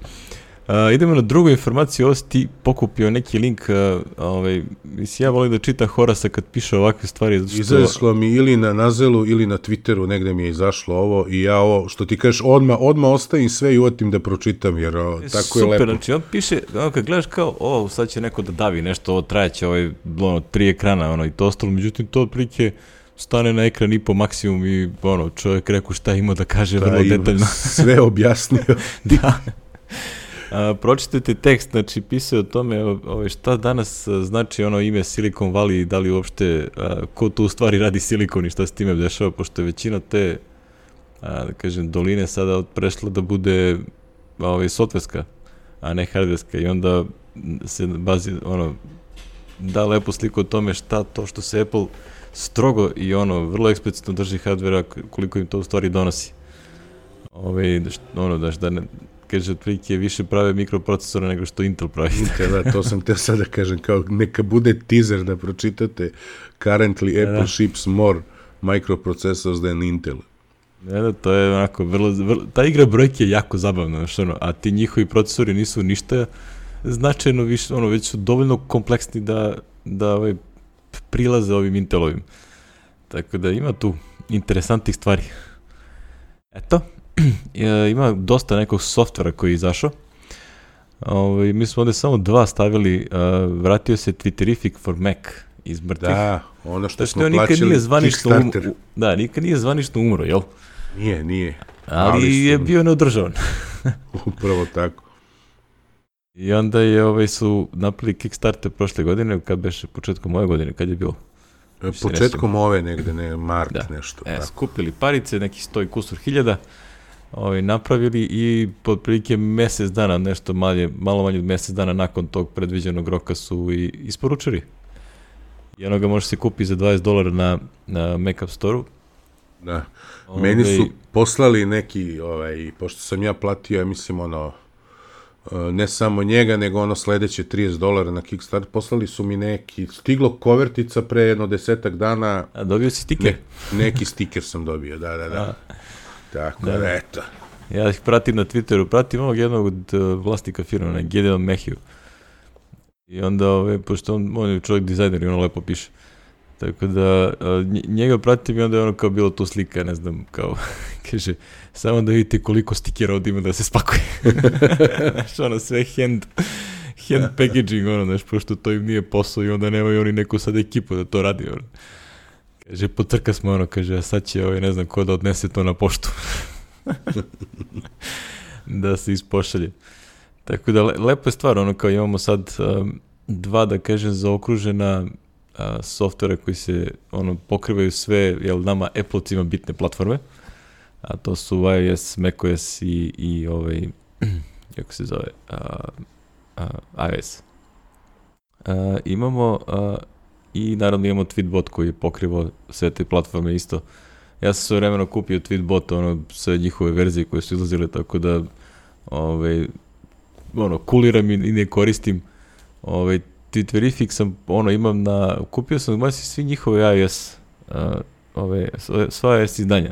Uh, idemo na drugu informaciju, ovo si ti pokupio neki link, uh, ovaj, mislim, ja volim da čitam Horasa kad piše ovakve stvari. Što... Izašlo mi ili na Nazelu ili na Twitteru, negde mi je izašlo ovo i ja ovo, što ti kažeš, odmah, odmah ostavim sve i uvatim da pročitam, jer o, tako super, je lepo. Super, znači on piše, ono, kad gledaš kao, o, sad će neko da davi nešto, ovo trajeće, ovaj, ono, tri ekrana, ono, i to ostalo, međutim, to otprilike stane na ekran i po maksimum i ono, čovjek rekao šta ima da kaže da, vrlo detaljno. Sve objasnio. Da. A, pročitajte tekst, znači pisao o tome ove, šta danas znači ono ime Silicon Valley i da li uopšte, a, ko tu u stvari radi silikon i šta se time dešava, pošto je većina te, a, da kažem, doline sada prešla da bude ove, softverska, a ne hardverska i onda se bazi, ono, da lepo sliku o tome šta to što se Apple strogo i ono, vrlo eksplicitno drži hardvera, koliko im to u stvari donosi. Ove, ono, daš, da ne, kaže, otprilike više prave mikroprocesora nego što Intel pravi. Intel, da, to sam te sada kažem, kao neka bude teaser da pročitate currently Apple da. ships more microprocessors than Intel. Ne, da, to je onako, vrlo, vrlo, ta igra brojke je jako zabavna, znaš, ono, a ti njihovi procesori nisu ništa značajno više, ono, već su dovoljno kompleksni da, da ovaj, prilaze ovim Intelovim. Tako da ima tu interesantnih stvari. Eto, ima dosta nekog softvera koji je izašao. Ovaj, mi smo ovde samo dva stavili, uh, vratio se Twitterific for Mac iz mrtvih. Da, ono što smo nikad plaćali nije zvanično Kickstarter. Um, da, nikad nije zvanično umro, jel? Nije, nije. Ali, Ali je su... bio neodržavan. Upravo tako. I onda je, ovaj, su napravili Kickstarter prošle godine, kad beše početkom ove godine, kad je bilo? Početkom ove negde, ne, mart da. nešto. E, skupili parice, neki sto i kusur hiljada, ovaj, napravili i otprilike mesec dana, nešto malje, malo manje od mesec dana nakon tog predviđenog roka su i isporučili. I ono ga može se kupiti za dvadeset dolara na, na Mac App Store-u. Da. Ove... Meni su poslali neki, ovaj, pošto sam ja platio, ja mislim, ono, ne samo njega, nego ono sledeće trideset dolara na Kickstarter, poslali su mi neki, stiglo kovertica pre jedno desetak dana. A dobio si stiker? Ne, neki stiker sam dobio, da, da, da. A. Tako da, da, eto. Ja ih pratim na Twitteru, pratim ovog jednog od uh, vlasnika firma, na Gideon Mayhew. I onda, ove, pošto on, on je čovjek dizajner i ono lepo piše. Tako da, uh, njega pratim i onda je ono kao bilo tu slika, ne znam, kao, kaže, samo da vidite koliko stikera od ima da se spakuje. Znaš, ono, sve hand, hand packaging, ono, znaš, pošto to im nije posao i onda nemaju oni neku sad ekipu da to radi, ono. Kaže, potrka smo, ono, kaže, a sad će, ovaj, ne znam, ko da odnese to na poštu. Da se ispošalje. Tako da, le, lepo je stvar, ono, kao imamo sad um, dva, da kažem, zaokružena uh, softvera koji se, ono, pokrivaju sve, jel, nama Apple-cima bitne platforme, a to su iOS, macOS i, i ovaj, kako se zove, uh, uh, iOS. Uh, imamo uh, i naravno imamo Tweetbot koji je pokrivao sve te platforme isto. Ja sam sve vremeno kupio Tweetbot, ono, sve njihove verzije koje su izlazile, tako da ovaj, ono, kuliram i, i ne koristim. Ovaj, Twitterific sam, ono, imam na, kupio sam baš svi njihove iOS, uh, ove, sva iOS izdanja.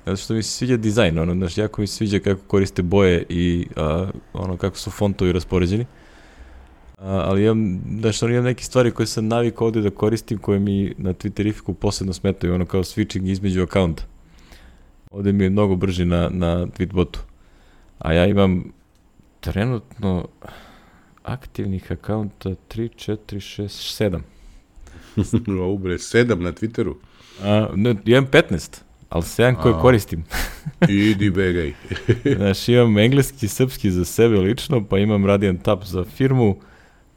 Zato što mi se sviđa dizajn, ono, znaš, jako mi se sviđa kako koriste boje i uh, ono, kako su fontovi raspoređeni. Uh, ali imam, znaš, ono, imam neke stvari koje sam navikao ovde da koristim, koje mi na Twitterificu posebno smetaju, ono, kao switching između akaunta. Ovde mi je mnogo brži na, na Tweetbotu. A ja imam trenutno aktivnih akaunta tri, četiri, šest, sedam. Ubre, sedam na Twitteru? A, ne, imam petnaest, ali sedam koje koristim. Idi begaj. Znaš, imam engleski, srpski za sebe lično, pa imam Radiant App za firmu,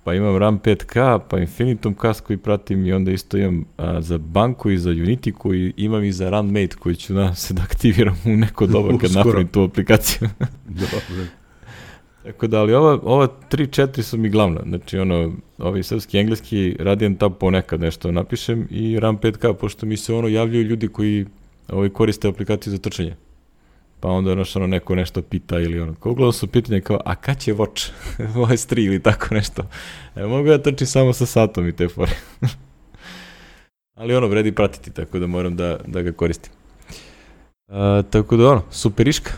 pa imam RAM pet K, pa Infinitum Cast koji pratim i onda isto imam a, za banku i za Unity koji imam i za RunMate koji ću da se da aktiviram u neko doba kad napravim tu aplikaciju. Dobro. Tako da, ali ova, ova tri četiri su mi glavna. Znači, ono, ovi srpski, engleski, Radiant App ponekad nešto napišem i RAM pet K, pošto mi se ono javljaju ljudi koji ovaj, koriste aplikaciju za trčanje. Pa onda ono, ono neko nešto pita ili ono. Uglavnom su pitanje kao, a kad će Watch? O S tri ili tako nešto. E, mogu ja trčim samo sa satom i te fore. Ali ono, vredi pratiti, tako da moram da, da ga koristim. A, tako da ono, superiška.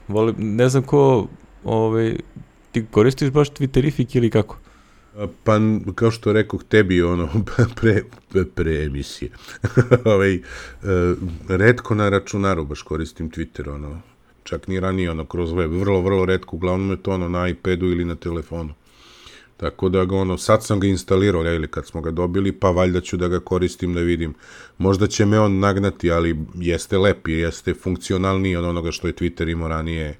Volim, ne znam ko, ovaj, ti koristiš baš Twitterific ili kako? Pa, kao što rekoh tebi, ono, pre, pre, pre emisije. ovaj, retko na računaru baš koristim Twitter, ono, čak ni ranije, ono, kroz web, vrlo, vrlo retko, uglavnom je to, ono, na iPadu ili na telefonu. Tako da ga, ono, sad sam ga instalirao, ili kad smo ga dobili, pa valjda ću da ga koristim da vidim. Možda će me on nagnati, ali jeste lepi, jeste funkcionalniji od onoga što je Twitter imao ranije.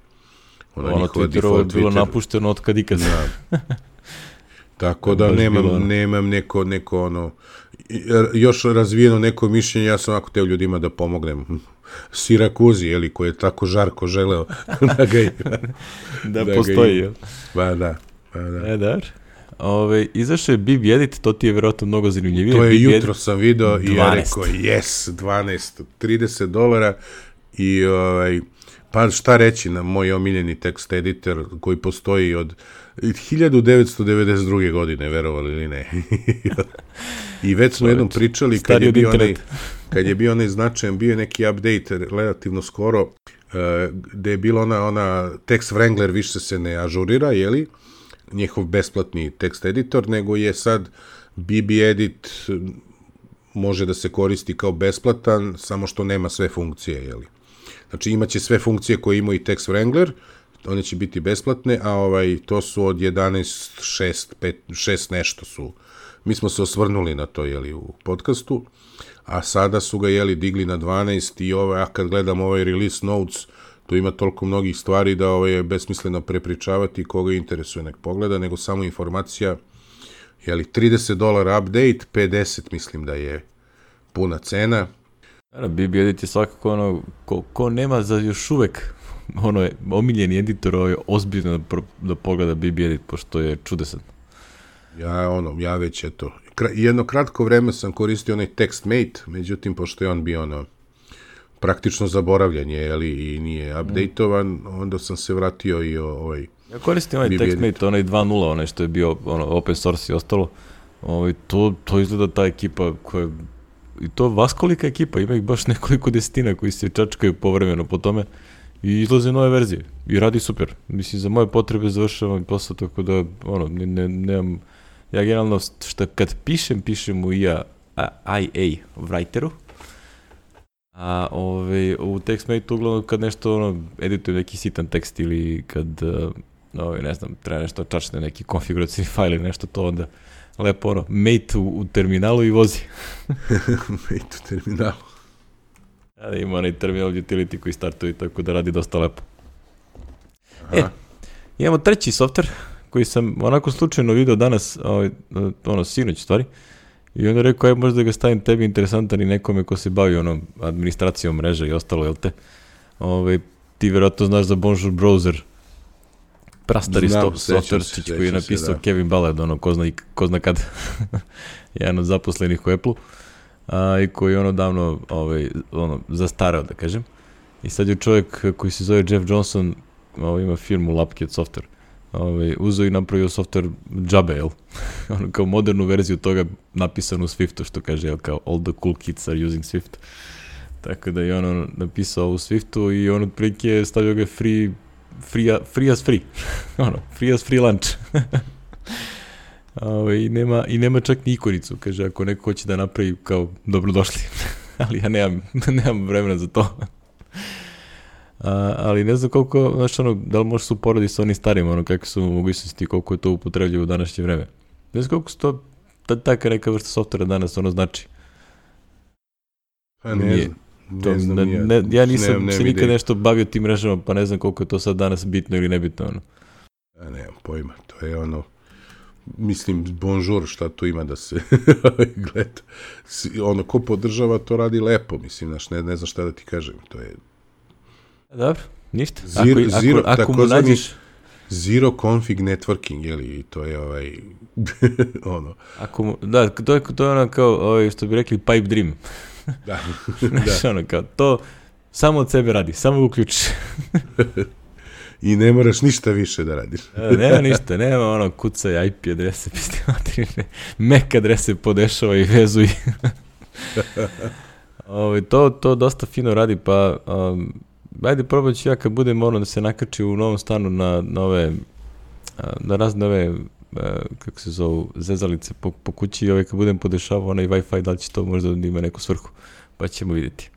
Ono, ono Twitterovo je bilo Twitter. Napušteno od kad ikad. Da. Tako da nemam, bilo, nemam neko, neko ono, još razvijeno neko mišljenje, ja sam ovako te ljudima da pomognem. Sirakuzi, jeli, koji je tako žarko želeo da ga da, da postoji, jel? Ba da, ba da. E, dar. Ove, izašao je Bib Edit, to ti je vjerojatno mnogo zanimljivije. To je Bib jutro Edit, sam video i ja rekao, yes, dvanaest, trideset dolara i ovaj, Pa šta reći na moj omiljeni tekst editor koji postoji od hiljadu devetsto devedeset druge. godine, verovali ili ne. I već smo jednom pričali kad je, bio onaj, kad je bio onaj značajan, bio je neki update relativno skoro, uh, gde je bila ona, ona Text Wrangler više se ne ažurira, jeli, njihov besplatni tekst editor, nego je sad B B Edit može da se koristi kao besplatan, samo što nema sve funkcije, jeli. Znači imaće sve funkcije koje ima i Text Wrangler, one će biti besplatne, a ovaj to su od jedanaest šest pet šest nešto su. Mi smo se osvrnuli na to, jeli, u podcastu, a sada su ga, jeli, digli na dvanaest i ovaj, a kad gledam ovaj release notes, tu ima toliko mnogih stvari da ovaj je besmisleno prepričavati, koga interesuje nek pogleda, nego samo informacija, jeli, trideset dolara update, pedeset mislim da je puna cena. B B Edit je svakako ono, ko, ko nema za još uvek ono je omiljeni editor, ovo je ozbiljno da, da pogleda B B Edit, pošto je čudesan. Ja, ono, ja već eto, jedno kratko vreme sam koristio onaj TextMate, međutim, pošto je on bio ono, praktično zaboravljan je, jeli, i nije updateovan, mm. onda sam se vratio i o, ovaj... Ja koristim onaj TextMate, onaj dva nula, onaj što je bio ono, open source i ostalo, ovaj, to, to izgleda ta ekipa koja, i to vaskolika ekipa, ima ih baš nekoliko desetina koji se čačkaju povremeno po tome i izlaze nove verzije i radi super. Mislim, za moje potrebe završavam posao, tako da, ono, ne, ne, nemam, ja generalno, šta kad pišem, pišem u I A, I A writeru, a ove, u TextMate uglavnom kad nešto, ono, editujem neki sitan tekst ili kad, ove, ne znam, treba nešto čačne, neki konfiguracijni fajl ili nešto, to onda lepo, ono, mate u, u terminalu i vozi. Mate u terminalu. Ja, ima onaj terminal utility koji startuje, tako da radi dosta lepo. Aha. E, imamo treći softver koji sam onako slučajno video danas, ovaj, ono, sinoć stvari, i onda rekao, aj možda ga stavim tebi interesantan i nekome ko se bavi ono, administracijom mreža i ostalo, jel te? Ove, ti verovatno znaš za Bonjour Browser, prastari softverčić koji je napisao se, Kevin Ballard, ono, ko zna, ko zna kad, jedan od zaposlenih u Apple-u, a, i koji je ono davno ovaj, ono, zastarao, da kažem. I sad je čovjek koji se zove Jeff Johnson, ovaj, ima firmu Lapket Software, ovaj, uzeo i napravio software džabe, jel? Ono, kao modernu verziju toga napisanu u Swiftu, što kaže, jel, kao all the cool kids are using Swift. Tako da je ono napisao u Swiftu i on otprilike stavio ga free, free, free as free. ono, free as free lunch. Ove, i, nema, I nema čak ni ikonicu, kaže, ako neko hoće da napravi kao dobrodošli, ali ja nemam, nemam vremena za to. A, ali ne znam koliko, znaš, ono, da li možeš se uporediti sa onim starim, ono, kakve su mogućnosti, koliko je to upotrebljivo u današnje vreme. Ne znam koliko su to, ta, taka neka vrsta softvera danas, ono, znači. Pa ne Nije, znam, to, ne znam, ne, ne, ja nisam nemam, se nikad nešto bavio tim mrežama, pa ne znam koliko je to sad danas bitno ili nebitno, ono. Ja nemam pojma, to je ono, mislim, bonjour, šta tu ima da se gleda. Ono, ko podržava, to radi lepo, mislim, znaš, ne, ne znam šta da ti kažem, to je... Dobro, ništa. Zero, ako, zero, ako, ako mu nađeš... Zero config networking, jeli, to je ovaj, ono... Ako mu, da, to je, to je ono kao, ovaj, što bi rekli, pipe dream. Da, znaš, da. Ono, kao, to samo od sebe radi, samo uključiš. I ne moraš ništa više da radiš. e, nema ništa, nema ono kucaj I P adrese, M A C adrese podešava i vezuj. Ove, to, to dosta fino radi, pa um, ajde probat ću ja kad budem ono da se nakači u novom stanu na, na ove, na razne ove, kako se zovu, zezalice po, po kući i ove kad budem podešavao onaj Wi-Fi, da li će to možda da ima neku svrhu, pa ćemo vidjeti.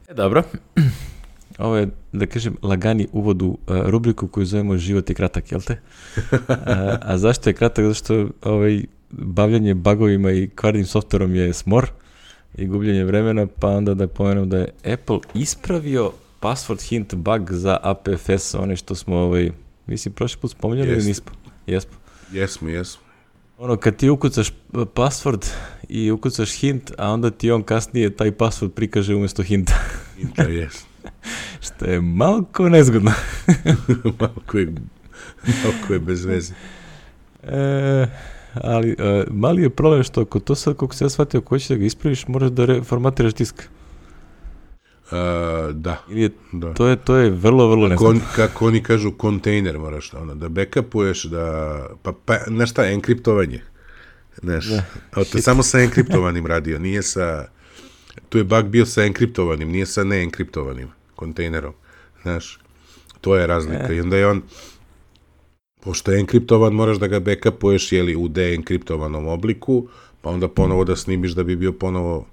E, dobro. Ovo je, da kažem, lagani uvod u uh, rubriku koju zovemo Život je kratak, jel te? A, a zašto je kratak? Zašto ovaj, bavljanje bugovima i kvarnim softverom je smor i gubljenje vremena, pa onda da pomenem da je Apple ispravio password hint bug za A P F S, one što smo, ovaj, mislim, prošli put spominjali ili nismo? Jesmo. Jesmo, jesmo. Ono, kad ti ukucaš password i ukucaš hint, a onda ti on kasnije taj password prikaže umjesto hinta. Hinta, jesmo. Što je malko nezgodno. malko, je, malko je bez veze. E, ali e, mali je problem što ako to sad, kako se ja shvatio, ako hoćeš da ga ispraviš, moraš da reformatiraš disk. Uh, da. Ili da. To, je, to je vrlo, vrlo neznatno. Kako oni kažu, kontejner moraš ono, da backupuješ, da, pa, pa znaš šta, enkriptovanje. Znaš, da, to je samo sa enkriptovanim radio, nije sa, tu je bug bio sa enkriptovanim, nije sa neenkriptovanim kontejnerom, znaš, to je razlika. E. I onda je on, pošto je enkriptovan, moraš da ga backupuješ, jeli, u deenkriptovanom obliku, pa onda ponovo da snimiš da bi bio ponovo,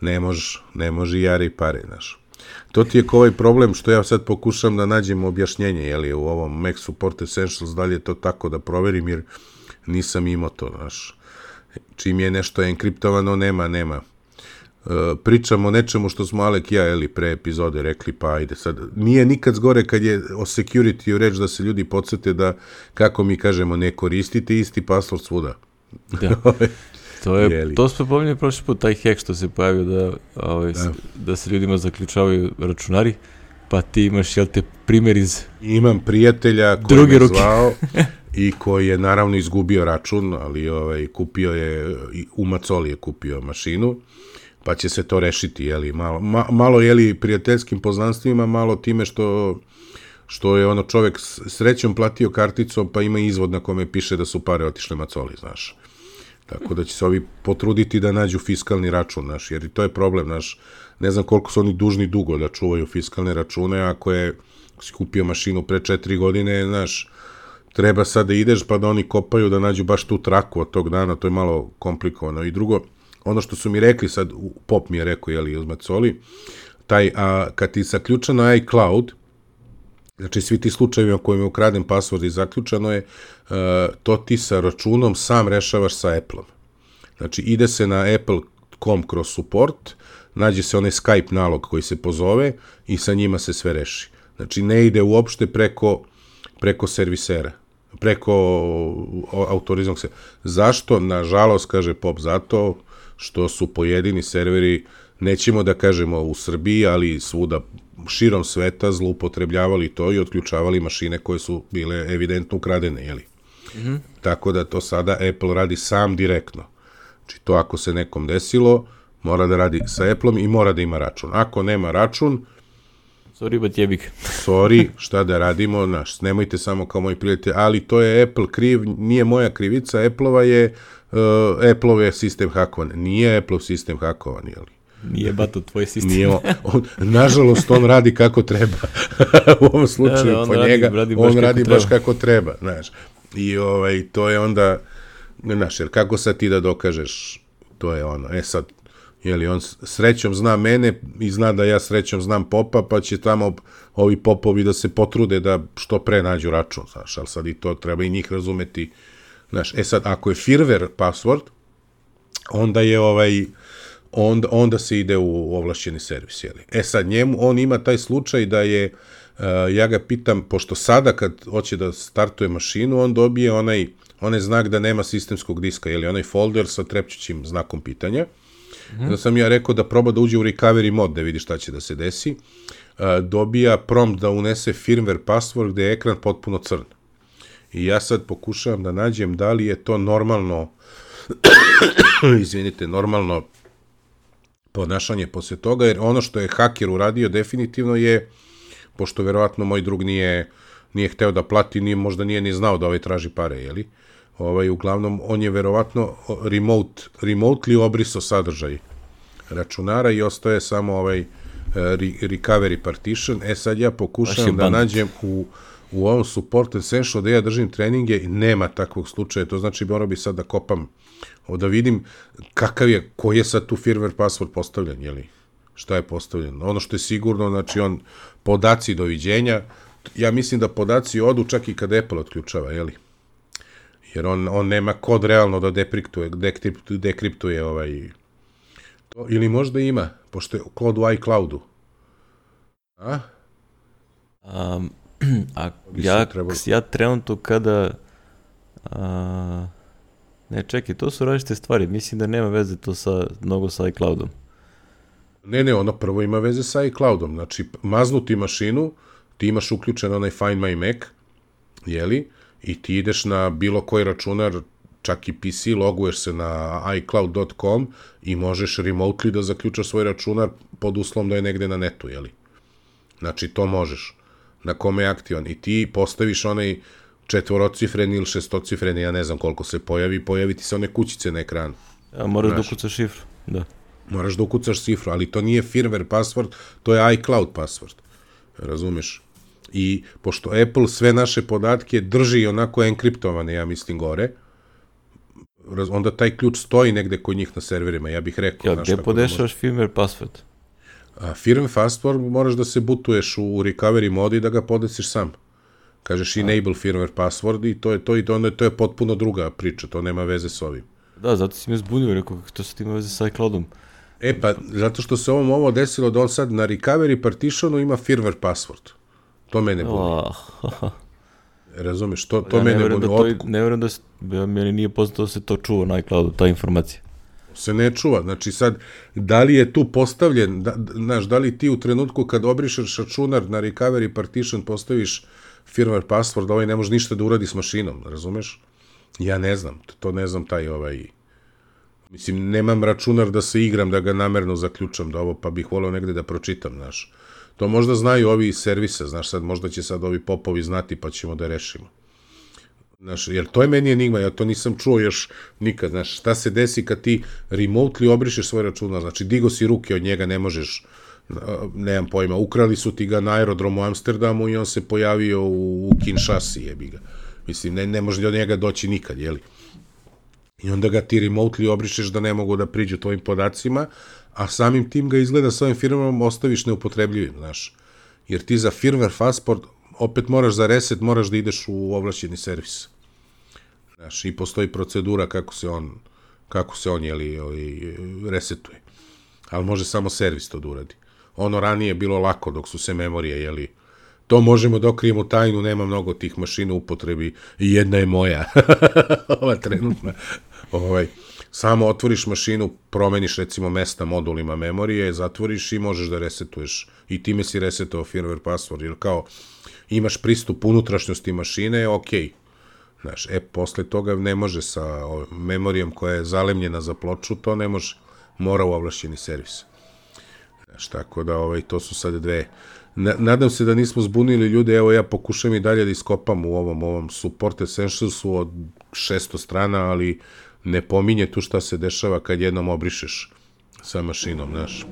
ne može, ne može jare i pare, znaš. To ti je ko ovaj problem što ja sad pokušam da nađem objašnjenje, jeli, u ovom Mac Support Essentials, da li je to tako da proverim, jer nisam imao to, znaš. Čim je nešto enkriptovano, nema, nema. E, pričamo o nečemu što smo Alek i ja, jeli, pre epizode rekli, pa ajde sad. Nije nikad zgore kad je o security-u reč da se ljudi podsjete da, kako mi kažemo, ne koristite isti password svuda. Da. To je, to smo pominjali prošli put, taj hack što se pojavio da, ovaj, da. da se ljudima zaključavaju računari, pa ti imaš, jel te, primjer iz Imam prijatelja koji me zvao i koji je naravno izgubio račun, ali ovaj, kupio je, u Macoli je kupio mašinu, pa će se to rešiti, jeli, malo, ma, malo jeli, prijateljskim poznanstvima, malo time što, što je ono čovek srećom platio karticom, pa ima izvod na kome piše da su pare otišle Macoli, znaš. Tako da će se ovi potruditi da nađu fiskalni račun, naš, jer i to je problem, naš, ne znam koliko su oni dužni dugo da čuvaju fiskalne račune, ako je, ako si kupio mašinu pre četiri godine, znaš, treba sad da ideš pa da oni kopaju da nađu baš tu traku od tog dana, to je malo komplikovano. I drugo, ono što su mi rekli sad, Pop mi je rekao, jeli, uz Macoli, taj, a, kad ti zaključano je iCloud, znači svi ti slučajevi u kojima je ukraden password i zaključano je, uh, to ti sa računom sam rešavaš sa Apple-om. Znači ide se na apple dot com kroz support, nađe se onaj Skype nalog koji se pozove i sa njima se sve reši. Znači ne ide uopšte preko, preko servisera, preko autorizovanog servera. Zašto? Nažalost, kaže Pop, zato što su pojedini serveri, nećemo da kažemo u Srbiji, ali svuda širom sveta zloupotrebljavali to i otključavali mašine koje su bile evidentno ukradene, jeli? Mm-hmm. Tako da to sada Apple radi sam direktno. Znači to ako se nekom desilo, mora da radi sa Apple-om i mora da ima račun. Ako nema račun, sorry, but jebik. sorry, šta da radimo, naš, nemojte samo kao moji prijatelji, ali to je Apple kriv, nije moja krivica, Apple-ova je, uh, Apple-ov je sistem hakovan, nije Apple-ov sistem hakovan, jeli? Nije bato tvoj sistem. Nije on, on, nažalost, on radi kako treba. U ovom slučaju, da, da, po radi, njega, radi on radi baš treba. kako treba, znaš. I ovaj, to je onda, znaš, jer kako sad ti da dokažeš, to je ono, e sad, jeli, on srećom zna mene i zna da ja srećom znam Popa, pa će tamo ovi Popovi da se potrude da što pre nađu račun, znaš, ali sad i to treba i njih razumeti, znaš. E sad, ako je firmware password, onda je ovaj, onda, onda se ide u ovlašćeni servis, jeli. E sad, njemu, on ima taj slučaj da je, uh, ja ga pitam, pošto sada kad hoće da startuje mašinu, on dobije onaj, onaj znak da nema sistemskog diska, jeli, onaj folder sa trepćućim znakom pitanja. Mm-hmm. Da sam ja rekao da proba da uđe u recovery mod, da vidi šta će da se desi. Uh, dobija prompt da unese firmware password gde je ekran potpuno crn. I ja sad pokušavam da nađem da li je to normalno, izvinite, normalno ponašanje posle toga, jer ono što je haker uradio definitivno je, pošto verovatno moj drug nije, nije hteo da plati, nije, možda nije ni znao da ovaj traži pare, jeli? Ovaj, uglavnom, on je verovatno remote, remotely obrisao sadržaj računara i ostaje samo ovaj re, recovery partition. E sad ja pokušavam da nađem u, u ovom support essential da ja držim treninge i nema takvog slučaja, to znači morao bi sad da kopam, da vidim kakav je, koji je sad tu firmware password postavljen, jeli? Šta je postavljeno? Ono što je sigurno, znači on, podaci doviđenja, ja mislim da podaci odu čak i kad Apple otključava, jeli? Jer on, on nema kod realno da dekriptuje, dekriptuje, dekriptuje ovaj, to, ili možda ima, pošto je kod u iCloudu. A? Um, a ja, ja trenutno kada a, ne, čekaj, to su različite stvari, mislim da nema veze to sa, mnogo sa iCloudom. Ne, ne, ono prvo ima veze sa iCloudom, znači maznuti mašinu, ti imaš uključen onaj Find My Mac, jeli, i ti ideš na bilo koji računar, čak i P C, loguješ se na i cloud dot com i možeš remotely da zaključaš svoj računar pod uslovom da je negde na netu, jeli? Znači, to možeš. Na kome je aktivan. I ti postaviš onaj četvorocifreni ili šestocifreni, ja ne znam koliko se pojavi, pojavi ti se one kućice na ekranu. A moraš da ukucaš šifru, da. Moraš da ukucaš šifru, ali to nije firmware password, to je iCloud password. Razumeš? I pošto Apple sve naše podatke drži onako enkriptovane, ja mislim, gore, onda taj ključ stoji negde kod njih na serverima, ja bih rekao. Ja, gde podešavaš firmware password? A firmware password moraš da se butuješ u recovery mode i da ga podesiš sam. Kažeš enable firmware password i to je to i to, onda to je potpuno druga priča, to nema veze s ovim. Da, zato si me zbunio, rekao kako to sad ima veze sa iCloudom. E pa, zato što se ovom ovo desilo da on sad na recovery partitionu ima firmware password. To mene buni. Oh. Razumeš, to, to ja mene buni. Da Otku... Ne vjerujem da se, meni nije poznato da se to čuva na iCloudu, ta informacija. Se ne čuva, znači sad, da li je tu postavljen, da, znaš, da li ti u trenutku kad obrišeš računar na recovery partition postaviš firmware password, ovaj ne može ništa da uradi s mašinom, razumeš? Ja ne znam, to ne znam taj ovaj... Mislim, nemam računar da se igram, da ga namerno zaključam, da ovo, pa bih voleo negde da pročitam, znaš. To možda znaju ovi iz servisa, znaš, sad možda će sad ovi popovi znati, pa ćemo da rešimo. Znaš, jer to je meni enigma, ja to nisam čuo još nikad, znaš, šta se desi kad ti remotely obrišeš svoj računar, znači digo si ruke od njega, ne možeš, nemam pojma, ukrali su ti ga na aerodromu u Amsterdamu i on se pojavio u, u Kinshasi, jebi ga. Mislim, ne, ne može do njega doći nikad, jeli? I onda ga ti remotely obrišeš da ne mogu da priđu tvojim podacima, a samim tim ga izgleda s ovim firmama ostaviš neupotrebljivim, znaš. Jer ti za firmware passport opet moraš za reset, moraš da ideš u ovlašćeni servis. Znaš, i postoji procedura kako se on, kako se on, jeli, jeli, resetuje. Ali može samo servis to da uradi. Ono ranije je bilo lako dok su se memorije, jeli, to možemo da okrijemo tajnu, nema mnogo tih mašina u upotrebi i jedna je moja. Ova trenutna. Ovaj, samo otvoriš mašinu, promeniš recimo mesta modulima memorije, zatvoriš i možeš da resetuješ. I time si resetovao firmware password, jer kao imaš pristup unutrašnjosti mašine, ok. Znaš, e, posle toga ne može sa memorijom koja je zalemljena za ploču, to ne može. Mora u ovlašćeni servis. Znaš, tako da ovaj, to su sad dve... Nadam se da nismo zbunili ljude, evo ja pokušam i dalje da iskopam u ovom, ovom Support Essentialsu od šesto strana, ali ne pominje tu šta se dešava kad jednom obrišeš sa mašinom, znaš.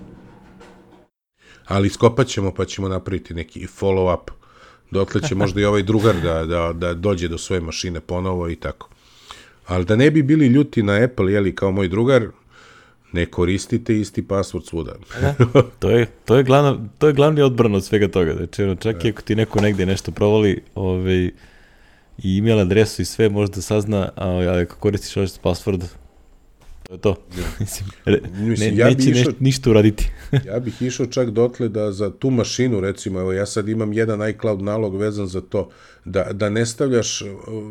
Ali iskopat ćemo pa ćemo napraviti neki follow-up. Dotle će možda i ovaj drugar da, da, da dođe do svoje mašine ponovo i tako. Ali da ne bi bili ljuti na Apple, jeli, kao moj drugar, ne koristite isti password svuda. Da, to je, to je, glavno, to je glavni odbran od svega toga. Znači, ono, čak i ako ti neko negde nešto provali ovaj, i email adresu i sve, možda sazna, ali ako koristiš ovaj password, to je to. Mislim, re, Mislim, ne, ja neće išao, neš, ništa uraditi. Ja bih išao čak dotle da za tu mašinu, recimo, evo ja sad imam jedan iCloud nalog vezan za to, da, da ne stavljaš,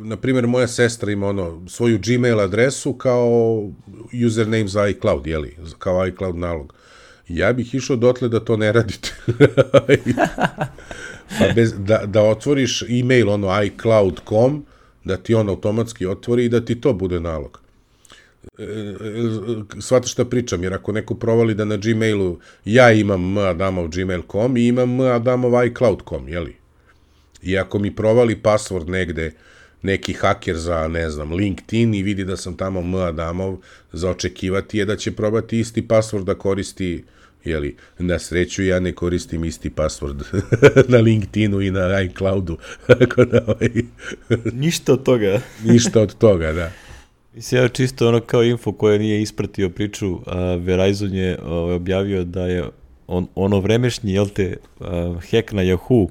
na primjer, moja sestra ima ono, svoju Gmail adresu kao username za iCloud, jeli, kao iCloud nalog. Ja bih išao dotle da to ne radite. Pa bez, da, da otvoriš email, ono, iCloud dot com, da ti on automatski otvori i da ti to bude nalog. Shvataš šta pričam, jer ako neko provali da na Gmailu ja imam m adamov gmail dot com i imam m adamov iCloud dot com, jeli? I ako mi provali password negde neki haker za, ne znam, LinkedIn i vidi da sam tamo m adamov, za očekivati je da će probati isti password da koristi, jeli? Na sreću ja ne koristim isti password na LinkedInu i na iCloudu. Ništa od toga. Ništa od toga, da. Mislim, ja čisto ono kao info koja nije ispratio priču, a Verizon je a, objavio da je on, ono vremešnji, jel te, a, hack na Yahoo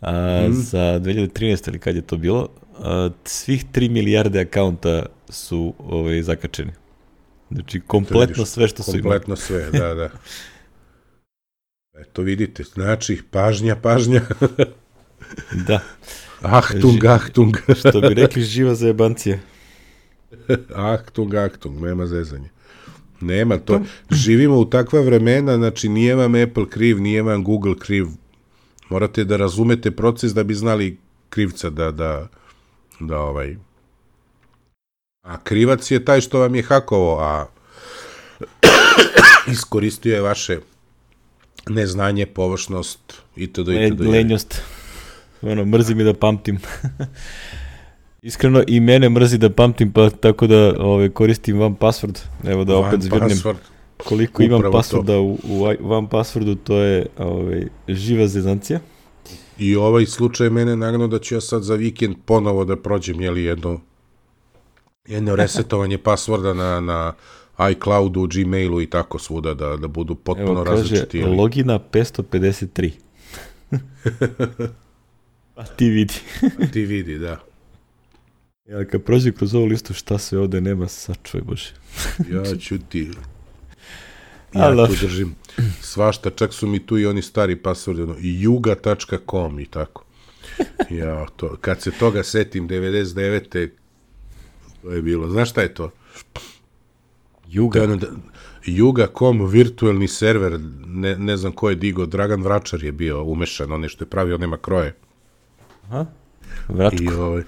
a, mm. za dve hiljade trinaeste ili kad je to bilo, a, svih tri milijarde akaunta su ovaj, zakačeni. Znači, kompletno sve što su imali. Kompletno sve, da, da. Eto vidite, znači, pažnja, pažnja. Da. Achtung, Ži, Achtung. Što bi rekli, živa za jebancije. Achtung, Achtung, nema zezanja. Nema to. Živimo u takva vremena, znači nije vam Apple kriv, nije vam Google kriv. Morate da razumete proces da bi znali krivca da, da, da ovaj... A krivac je taj što vam je hakovo, a iskoristio je vaše neznanje, površnost itd. itd. Lenjost. Ono, mrzi mi da pamtim. Iskreno, i mene mrzi da pamtim, pa tako da ove, koristim one password. Evo da opet zvirnem koliko imam passworda u, u one passwordu, to je ove, živa zezancija. I ovaj slučaj mene naravno da ću ja sad za vikend ponovo da prođem, jeli jedno, jedno resetovanje passworda na, na iCloudu, Gmailu i tako svuda, da, da budu potpuno Evo, kaže, različiti. Evo, kaže, logina petsto pedeset tri. A ti vidi. A ti vidi, da. Ja, kad prođe kroz ovu listu, šta sve ovde nema, sačuvaj Bože. Ja ću ti... Ja tu držim svašta, čak su mi tu i oni stari passwordi, ono, juga tačka com i tako. Ja, to, kad se toga setim, devedeset devete to je bilo. Znaš šta je to? Juga? Ono, juga tačka com, virtualni server, ne, ne znam ko je digo, Dragan Vračar je bio umešan, on je što je pravio, nema kroje. Aha, Vračko. I, ovaj,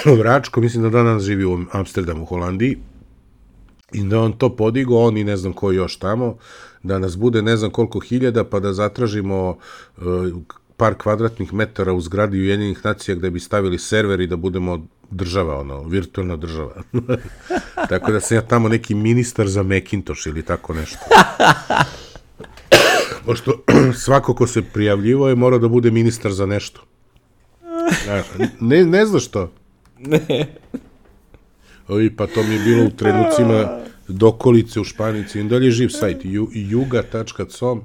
Vračko, mislim da danas živi u Amsterdamu, u Holandiji, i da on to podigo, on i ne znam ko još tamo, da nas bude ne znam koliko hiljada, pa da zatražimo uh, par kvadratnih metara u zgradi Ujedinjenih nacija gde bi stavili server i da budemo država, ono, virtualna država. Tako da sam ja tamo neki ministar za Macintosh ili tako nešto. Pošto svako ko se prijavljivo je morao da bude ministar za nešto. Ne, ne znaš to? Ne. Ovi, pa to mi je bilo u trenucima dokolice u Španici. I dalje je živ sajt, juga tačka com.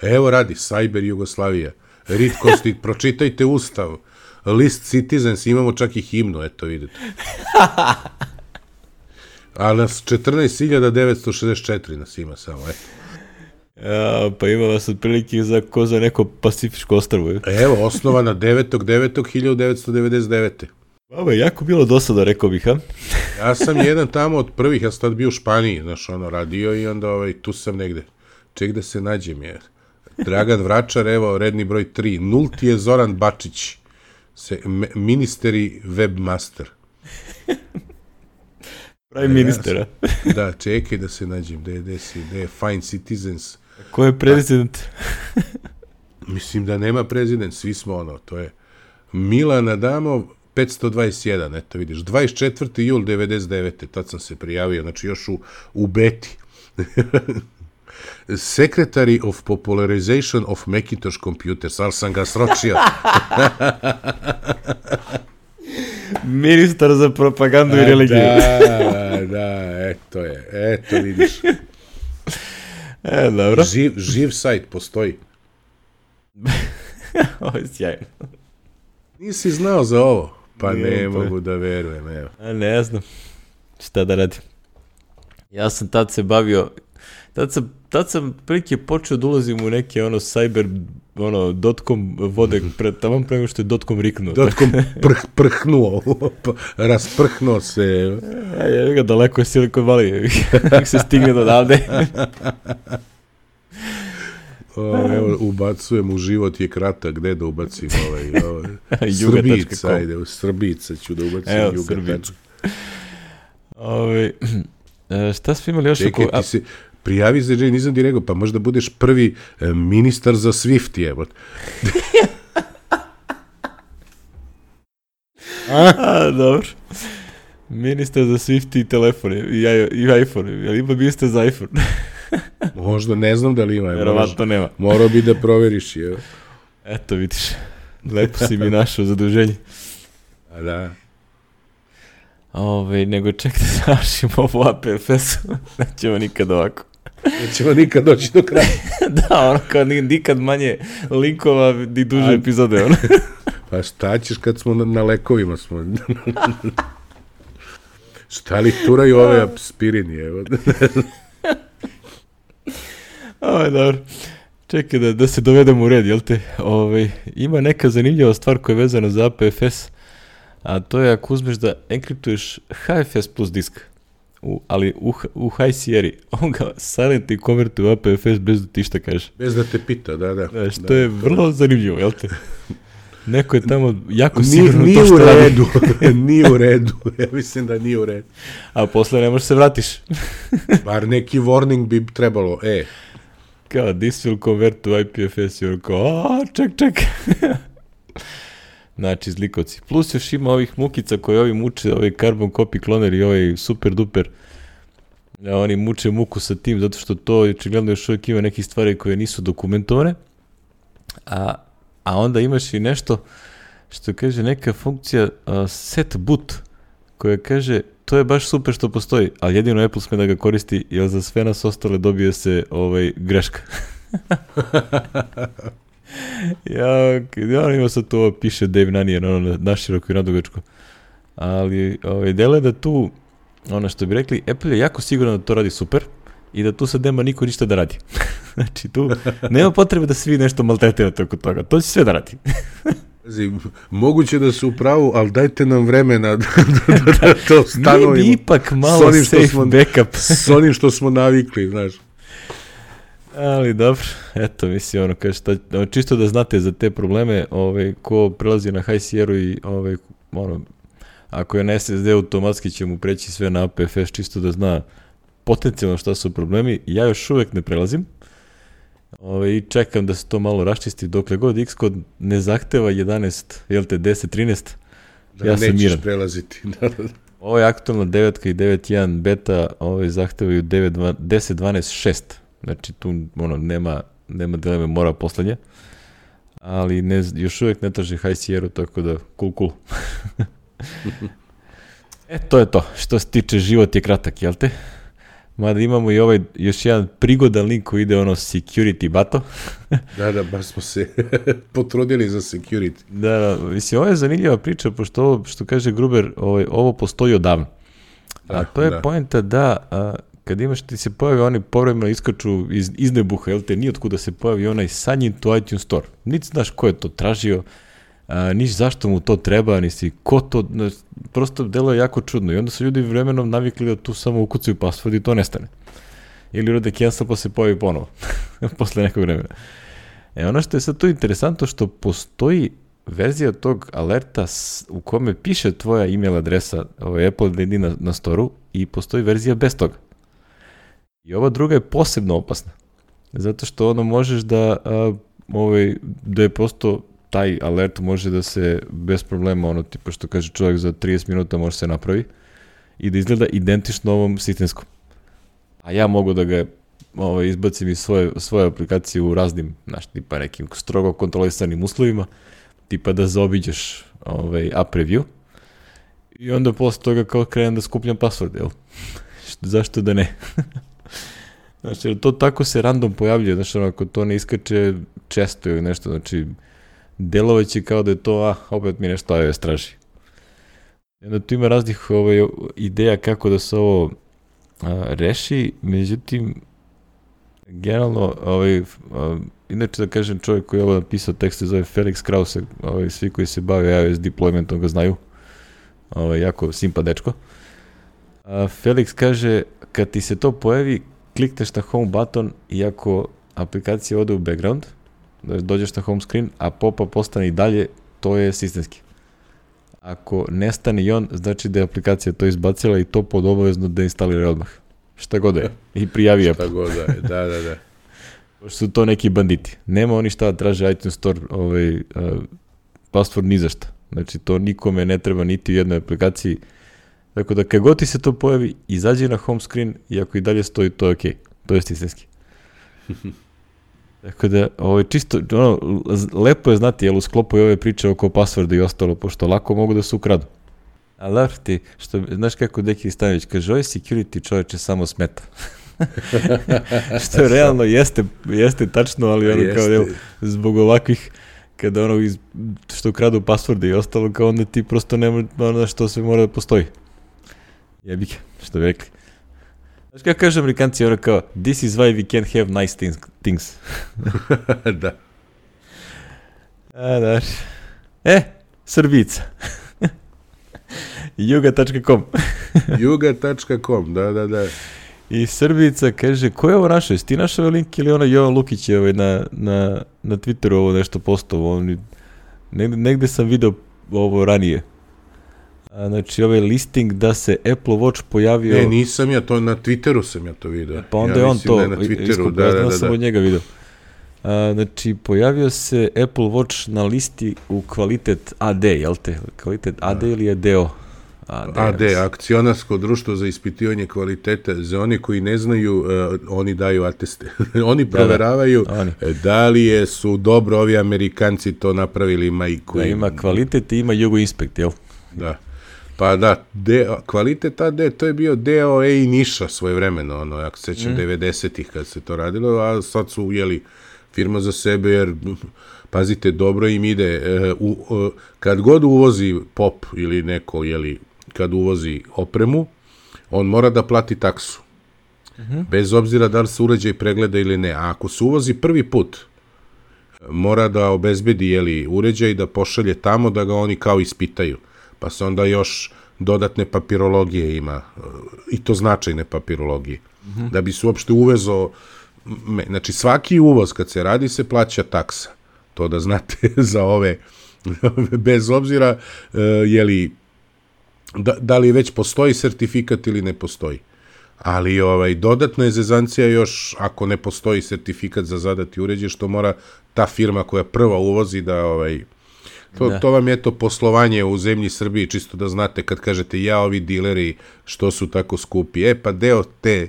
Evo radi, Cyber Jugoslavija. Read Constitution, pročitajte Ustav. List Citizens, imamo čak i himnu, eto vidite. A nas četrnaest hiljada devetsto šezdeset četiri nas ima samo, eto. Ja, pa ima vas otprilike za, ko za neko Pacifičko ostrvo. Evo, osnovana devetog devetog hiljadu devetsto devedeset devete. Ovo je jako bilo dosada, rekao bih, ha? Ja sam jedan tamo od prvih, ja sam tad bio u Španiji, znaš, ono, radio i onda ovaj, tu sam negde. Ček da se nađem, jer Dragan Vračar, evo, redni broj tri. Nulti je Zoran Bačić, se, me, ministeri webmaster. Pravi ministera. Da, čekaj da se nađem, gde, gde si, gde je Fine Citizens. Ko je prezident? Mislim da nema prezident, svi smo ono, to je Milan Adamov, petsto dvadeset jedan, eto vidiš, dvadeset četvrti jul devedeset devete, tad sam se prijavio, znači još u, u beti. Secretary of Popularization of Macintosh Computers, ali sam ga sročio. Ministar za propagandu i religiju. Da, da, eto je, eto vidiš. E, dobro. Živ, živ sajt postoji. Ovo je sjajno. Nisi znao za ovo? Pa ne, ne pa mogu da verujem, evo. A ne znam šta da radim. Ja sam tad se bavio, tad sam, tad sam prilike počeo da ulazim u neke ono cyber, ono, dotcom vode, pre, tamo pre nego što je dotcom riknuo. Dotcom prh, prhnuo, rasprhnuo se. Ja, ja ga daleko je Silicon Valley, kako se stigne do davde. O, evo, ubacujem u život je kratak, gde da ubacim ovaj, ovaj Srbica, ajde, u Srbica ću da ubacim evo, Juga. Ove, šta smo imali još? Čekaj, oko... ti se prijavi za Jay, nisam ti rekao, pa možda budeš prvi e, ministar za Swift, evo. A? A, dobro. Ministar za Swift i telefone, i, i iPhone, ali ima ministar za iPhone. Možda, ne znam da li ima. Verovatno nema. Morao bi da proveriš, evo. Eto, vidiš, lepo si mi našao zaduženje. A da. Ove, nego ček da završimo ovo A P F S-u, nećemo nikad ovako. Nećemo nikad doći do kraja. Da, ono kao nikad manje linkova ni duže A... epizode, ono. Pa šta ćeš kad smo na, na lekovima smo? Šta li turaju ove aspirini, evo. Ovo, dobro. Čekaj da, da se dovedemo u red, jel te? Ove, ima neka zanimljiva stvar koja je vezana za A P F S, a to je ako uzmeš da enkriptuješ H F S plus disk, u, ali u, u High Sierra, on ga silently konvertuje u A P F S bez da ti šta kažeš. Bez da te pita, da, da. da što da, je vrlo zanimljivo, jel te? Neko je tamo jako sigurno nije to što u redu. radi. Nije u redu. Ja mislim da nije u redu. A posle ne možeš se vratiš. Bar neki warning bi trebalo. E. Kao, this will convert to I P F S. I kao, a, ček, ček. Znači, zlikovci. Plus još ima ovih mukica koje ovi muče, ovaj carbon copy kloner i ovaj super duper. Ja, oni muče muku sa tim, zato što to očigledno još uvijek ima nekih stvari koje nisu dokumentovane. A, a onda imaš i nešto što kaže neka funkcija uh, set boot, koja kaže to je baš super što postoji, ali jedino Apple sme da ga koristi, jer za sve nas ostale dobije se ovaj, greška. ja, ja ima sad to piše Dave Nanijan, ono naširoko i nadugačko. Ali ovaj, delo je da tu, ono što bi rekli, Apple je jako sigurno da to radi super i da tu sad nema niko ništa da radi. Znači tu nema potrebe da svi nešto maltretirate oko toga, to će sve da radi. Moguće da su u pravu, ali dajte nam vremena da, da, da to stanovimo. Mi bi ipak malo safe smo, backup. S onim što smo navikli, znaš. Ali dobro, eto, mislim, ono, kaže, šta, čisto da znate za te probleme, ovaj, ko prelazi na High Sierra i, ovaj, ono, ako je na S S D, automatski će mu preći sve na A P F S, čisto da zna potencijalno šta su problemi. Ja još uvek ne prelazim. Ove, i čekam da se to malo raščisti dokle god Xcode ne zahteva jedanaest, jel te, deset, trinaest, da, ja sam miran. Prelaziti. Ovo je aktualna devet i devet jedan beta, ove zahtevaju deset, dvanaest, šest. Znači tu ono, nema, nema dileme, mora poslednje. Ali ne, još uvijek ne traži High Sierra, tako da cool, cool. E, to je to. Što se tiče, život je kratak, jel te? Mada imamo i ovaj još jedan prigodan link koji ide ono security bato. da, da, baš smo se potrudili za security. Da, da, mislim, ovo je zanimljiva priča, pošto ovo, što kaže Gruber, ovaj, ovo postoji odavno. A ah, to je da. Poenta da, a, kad imaš, ti se pojavi, oni povremeno iskaču iz, iz nebuha, jel te, nije otkuda se pojavi onaj sign to iTunes Store. Niti znaš ko je to tražio, a, niš zašto mu to treba, nisi ko to, prosto delo je jako čudno i onda su ljudi vremenom navikli da tu samo ukucaju password i to nestane. Ili rode cancel pa se pojavi ponovo, posle nekog vremena. E ono što je sad tu interesantno, što postoji verzija tog alerta u kome piše tvoja email adresa, ovaj Apple I D na, na storu, i postoji verzija bez toga. I ova druga je posebno opasna, zato što ono možeš da, a, ovaj, da je prosto taj alert može da se bez problema, ono tipa što kaže čovjek za trideset minuta može se napravi i da izgleda identično ovom sistemskom. A ja mogu da ga ovaj, izbacim iz svoje, svoje aplikacije u raznim, znaš, tipa nekim strogo kontrolisanim uslovima, tipa da zaobiđeš ovaj, app review i onda posle toga kao krenem da skupljam password, jel? Zašto da ne? Znači, jer to tako se random pojavljuje, znači, ono, ako to ne iskače često ili nešto, znači, delovaće kao da je to, a, opet mi nešto iOS traži. I onda tu ima raznih ovaj, ideja kako da se ovo a, reši, međutim, generalno, ovaj, a, inače da kažem, čovjek koji je ovo napisao tekst se zove Felix Krause, ovaj, svi koji se bave iOS deploymentom ga znaju, ovaj, jako simpa dečko. A, Felix kaže, kad ti se to pojavi, klikneš na home button i ako aplikacija ode u background, da dođeš na home screen, a pop-up postane i dalje, to je sistemski. Ako nestane i on, znači da je aplikacija to izbacila i to pod obavezno da instalira odmah. Šta god je. I prijavi Apple. Šta god je, da, da, da. Pošto su to neki banditi. Nema oni šta da traže iTunes Store ovaj, uh, password ni za šta. Znači to nikome ne treba niti u jednoj aplikaciji. Tako da kad god ti se to pojavi, izađi na home screen i ako i dalje stoji, to je okej. Okay. To je sistemski. Tako da, ovo je čisto, ono, lepo je znati, jel, u sklopu i ove priče oko passworda i ostalo, pošto lako mogu da se ukradu. Ali da ti, što, znaš kako Deki Stanović kaže, ovaj security čovječe samo smeta. Što realno jeste, jeste tačno, ali ono jeste. Kao, jel, zbog ovakvih, kada ono, iz, što ukradu passworde i ostalo, kao onda ti prosto nema ono što sve mora da postoji. Jebike, što bi rekli. Znaš kako kažu Amerikanci, ono kao, this is why we can't have nice things. things. Da. A, daš. E, Srbica. juga tačka com. juga tačka com, da, da, da. I Srbica kaže, ko je ovo našao? Jesi ti našao link ili ono Jovan Lukić je ovaj na, na, na Twitteru ovo nešto postovo? On negde, negde sam video ovo ranije. A, znači ovaj listing da se Apple Watch pojavio... Ne, nisam ja, to na Twitteru sam ja to video. Pa onda ja je on to da je na Twitteru, da, da, da, da. sam od njega video. A, znači, pojavio se Apple Watch na listi u kvalitet A D, jel te? Kvalitet A D ili je D O? A D, A D, akcionarsko društvo za ispitivanje kvalitete. Za oni koji ne znaju, uh, oni daju ateste. Oni proveravaju da, da. Oni. da li je, su dobro ovi Amerikanci to napravili. Ima, i koji... da, ima kvalitet i ima Jugo Inspekt, jel? Da. Pa da, de, kvalitet A D, to je bio D O E i Niša svoje vremeno, ono, ako se sećam, mm. devedesetih kad se to radilo, a sad su, jeli, firma za sebe, jer, pazite, dobro im ide, u, u, kad god uvozi pop ili neko, jeli, kad uvozi opremu, on mora da plati taksu. Mm-hmm. Bez obzira da li se uređaj pregleda ili ne. A ako se uvozi prvi put, mora da obezbedi, jeli, uređaj, da pošalje tamo, da ga oni kao ispitaju. Pa se onda još dodatne papirologije ima, i to značajne papirologije. Mm-hmm. Da bi se uopšte uvezo, znači svaki uvoz kad se radi se plaća taksa. To da znate za ove, bez obzira, jeli, da, da li već postoji sertifikat ili ne postoji. Ali ovaj, dodatna je zezancija još ako ne postoji sertifikat za zadati uređaj, što mora ta firma koja prva uvozi da... Ovaj, To, to vam je to poslovanje u zemlji Srbiji, čisto da znate kad kažete ja ovi dileri što su tako skupi. E pa deo te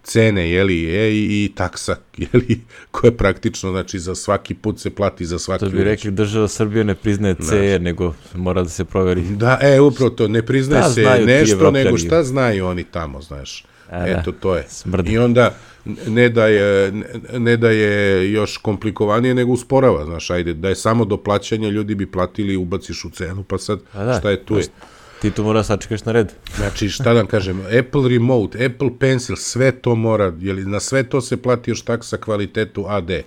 cene, jeli, je i, i taksa, jeli, koja praktično, znači za svaki put se plati za svaki uređaj. To bi rekli država Srbije ne priznaje C E, nego mora da se proveri. Da, e, upravo to, ne priznaje da, se nešto, nego šta znaju oni tamo, znaš. A, eto, to je. Smrdi. I onda ne da je, ne da je još komplikovanije, nego usporava, znaš, ajde, da je samo do plaćanja, ljudi bi platili i ubaciš u cenu, pa sad, da, šta je tu je? Ti tu mora sačekaš na red. Znači, šta da kažem, Apple Remote, Apple Pencil, sve to mora, jeli, na sve to se plati još taksa kvalitetu A D. E,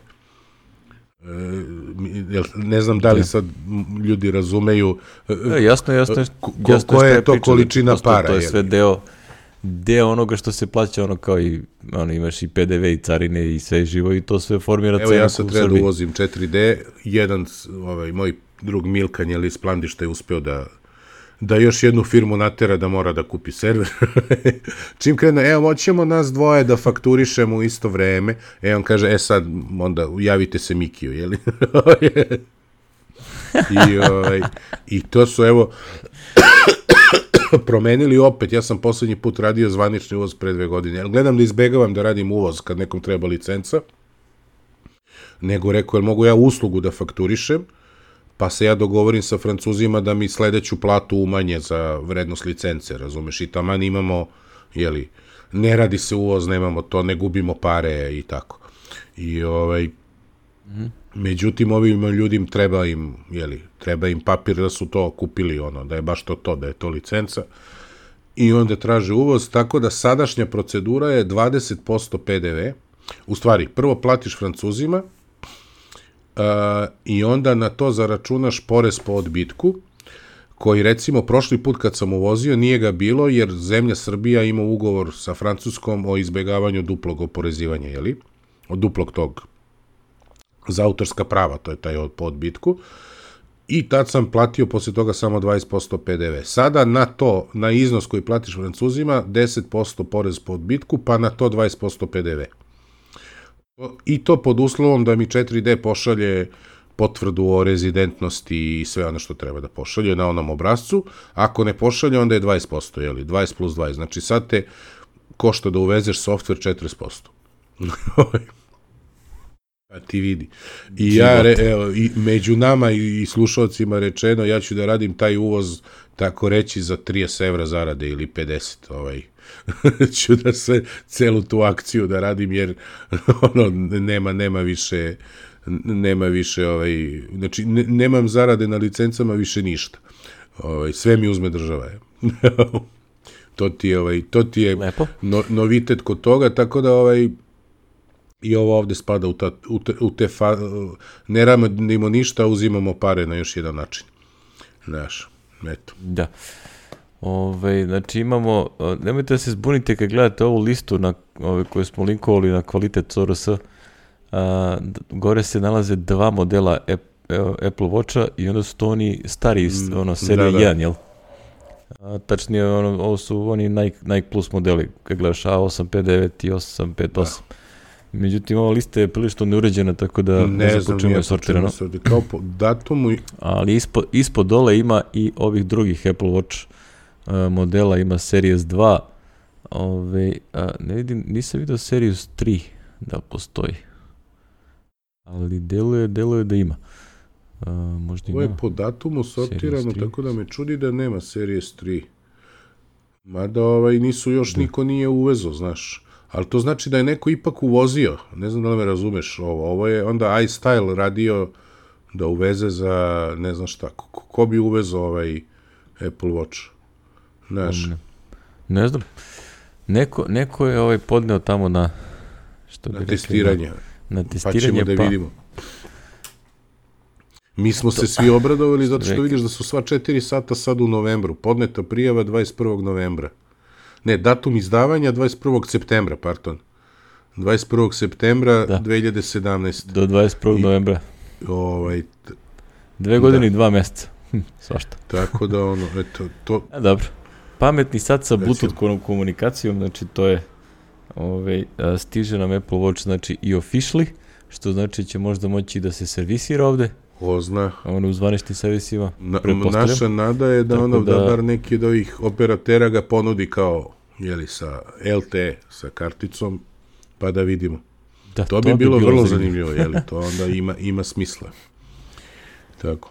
ne znam da li sad ljudi razumeju da, jasno, jasno, ko, jasno koja je to priča, količina para. To je sve deo deo onoga što se plaća, ono kao i ono, imaš i P D V i carine i sve živo i to sve formira cenu. Evo ja sad treba da uvozim četiri D, jedan ovaj, moj drug Milkan, jel iz Plandišta je uspeo da da još jednu firmu natera da mora da kupi server. Čim krene, evo, moćemo nas dvoje da fakturišemo u isto vreme, e, on kaže, e sad, onda javite se Mikiju, jel? I, ovaj, I to su, evo, promenili opet, ja sam poslednji put radio zvanični uvoz pre dve godine, gledam da izbegavam da radim uvoz kad nekom treba licenca, nego rekao, jel mogu ja uslugu da fakturišem, pa se ja dogovorim sa Francuzima da mi sledeću platu umanje za vrednost licence, razumeš, i taman imamo, jeli, ne radi se uvoz, nemamo to, ne gubimo pare i tako. I ovaj, mm-hmm. međutim, ovim ljudima treba im, jeli, treba im papir da su to kupili, ono, da je baš to to, da je to licenca, i onda traže uvoz, tako da sadašnja procedura je dvadeset posto P D V, u stvari, prvo platiš Francuzima, Uh, i onda na to zaračunaš porez po odbitku, koji recimo prošli put kad sam uvozio nije ga bilo, jer zemlja Srbija ima ugovor sa Francuskom o izbegavanju duplog oporezivanja, jeli? Od duplog tog za autorska prava, to je taj od, po odbitku, i tad sam platio posle toga samo dvadeset posto P D V. Sada na to, na iznos koji platiš Francuzima, deset posto porez po odbitku, pa na to dvadeset posto P D V. I to pod uslovom da mi četiri D pošalje potvrdu o rezidentnosti i sve ono što treba da pošalje na onom obrazcu. Ako ne pošalje, onda je dvadeset posto, jeli? dvadeset plus dvadeset. Znači sad te košta da uvezeš softver četrdeset posto. A ti vidi. I ja, re, evo, i među nama i, i slušalcima rečeno, ja ću da radim taj uvoz, tako reći, za trideset evra zarade ili pedeset, ovaj. ću da sve, celu tu akciju da radim, jer ono, nema, nema više, nema više, ovaj, znači, ne, nemam zarade na licencama više ništa. Ovaj, sve mi uzme država. to ti je, ovaj, to ti je no, novitet kod toga, tako da, ovaj, i ovo ovde spada u, ta, u te, u te fa, ne radimo ništa, uzimamo pare na još jedan način. Znaš, eto. Da. Ove, znači imamo, nemojte da se zbunite kad gledate ovu listu na, ove, koje smo linkovali na kvalitet C R S, a, gore se nalaze dva modela Apple Watcha i onda su to oni stari, mm, ono, serija da, da. jedan, jel? A, tačnije, ono, ovo su oni Nike, Nike Plus modeli, kad gledaš A osam pet devet i osam pet osam. Da. Međutim, ova lista je prilično neuređena, tako da ne, ne znam počemu je sortirano. Kao po datumu... Ali ispod, ispod dole ima i ovih drugih Apple Watch uh, modela, ima Series dva, ove, a, ne vidim, nisam vidio Series tri da postoji. Ali deluje, deluje da ima. Uh, možda Ovo je po datumu sortirano, tako da me čudi da nema Series tri. Mada ovaj, nisu još, da. Niko nije uvezo, znaš. Ali to znači da je neko ipak uvozio. Ne znam da li me razumeš ovo. Ovo je onda iStyle radio da uveze za, ne znam šta, ko, ko bi uvezo ovaj Apple Watch? Znaš. Ne, ne znam. Neko, neko je ovaj podneo tamo na... Što na testiranje. Rekli, na, na testiranje, pa ćemo da pa... vidimo. Mi smo to, se svi obradovali zato što vidiš da su sva četiri sata sad u novembru. Podneta prijava dvadeset prvog novembra. Ne, datum izdavanja dvadeset prvog septembra, pardon. dvadeset prvog septembra da. dve hiljade sedamnaeste. Do dvadeset prvog novembra. Ovaj, t... Dve godine da. i dva meseca. Hm, svašta. Tako da ono, eto, to... A, dobro. Pametni sad sa Bluetooth komunikacijom, znači to je, ovaj, stiže nam Apple Watch, znači i officially, što znači će možda moći da se servisira ovde. Ko zna. Ono u zvaničnim servisima. Na, naša nada je da ono da, da bar neki od ovih operatera ga ponudi kao, jeli, sa L T E, sa karticom, pa da vidimo. Da, to, to bi, bi bilo, bilo vrlo zanimljivo, zanimljivo jeli, to onda ima, ima smisla. Tako.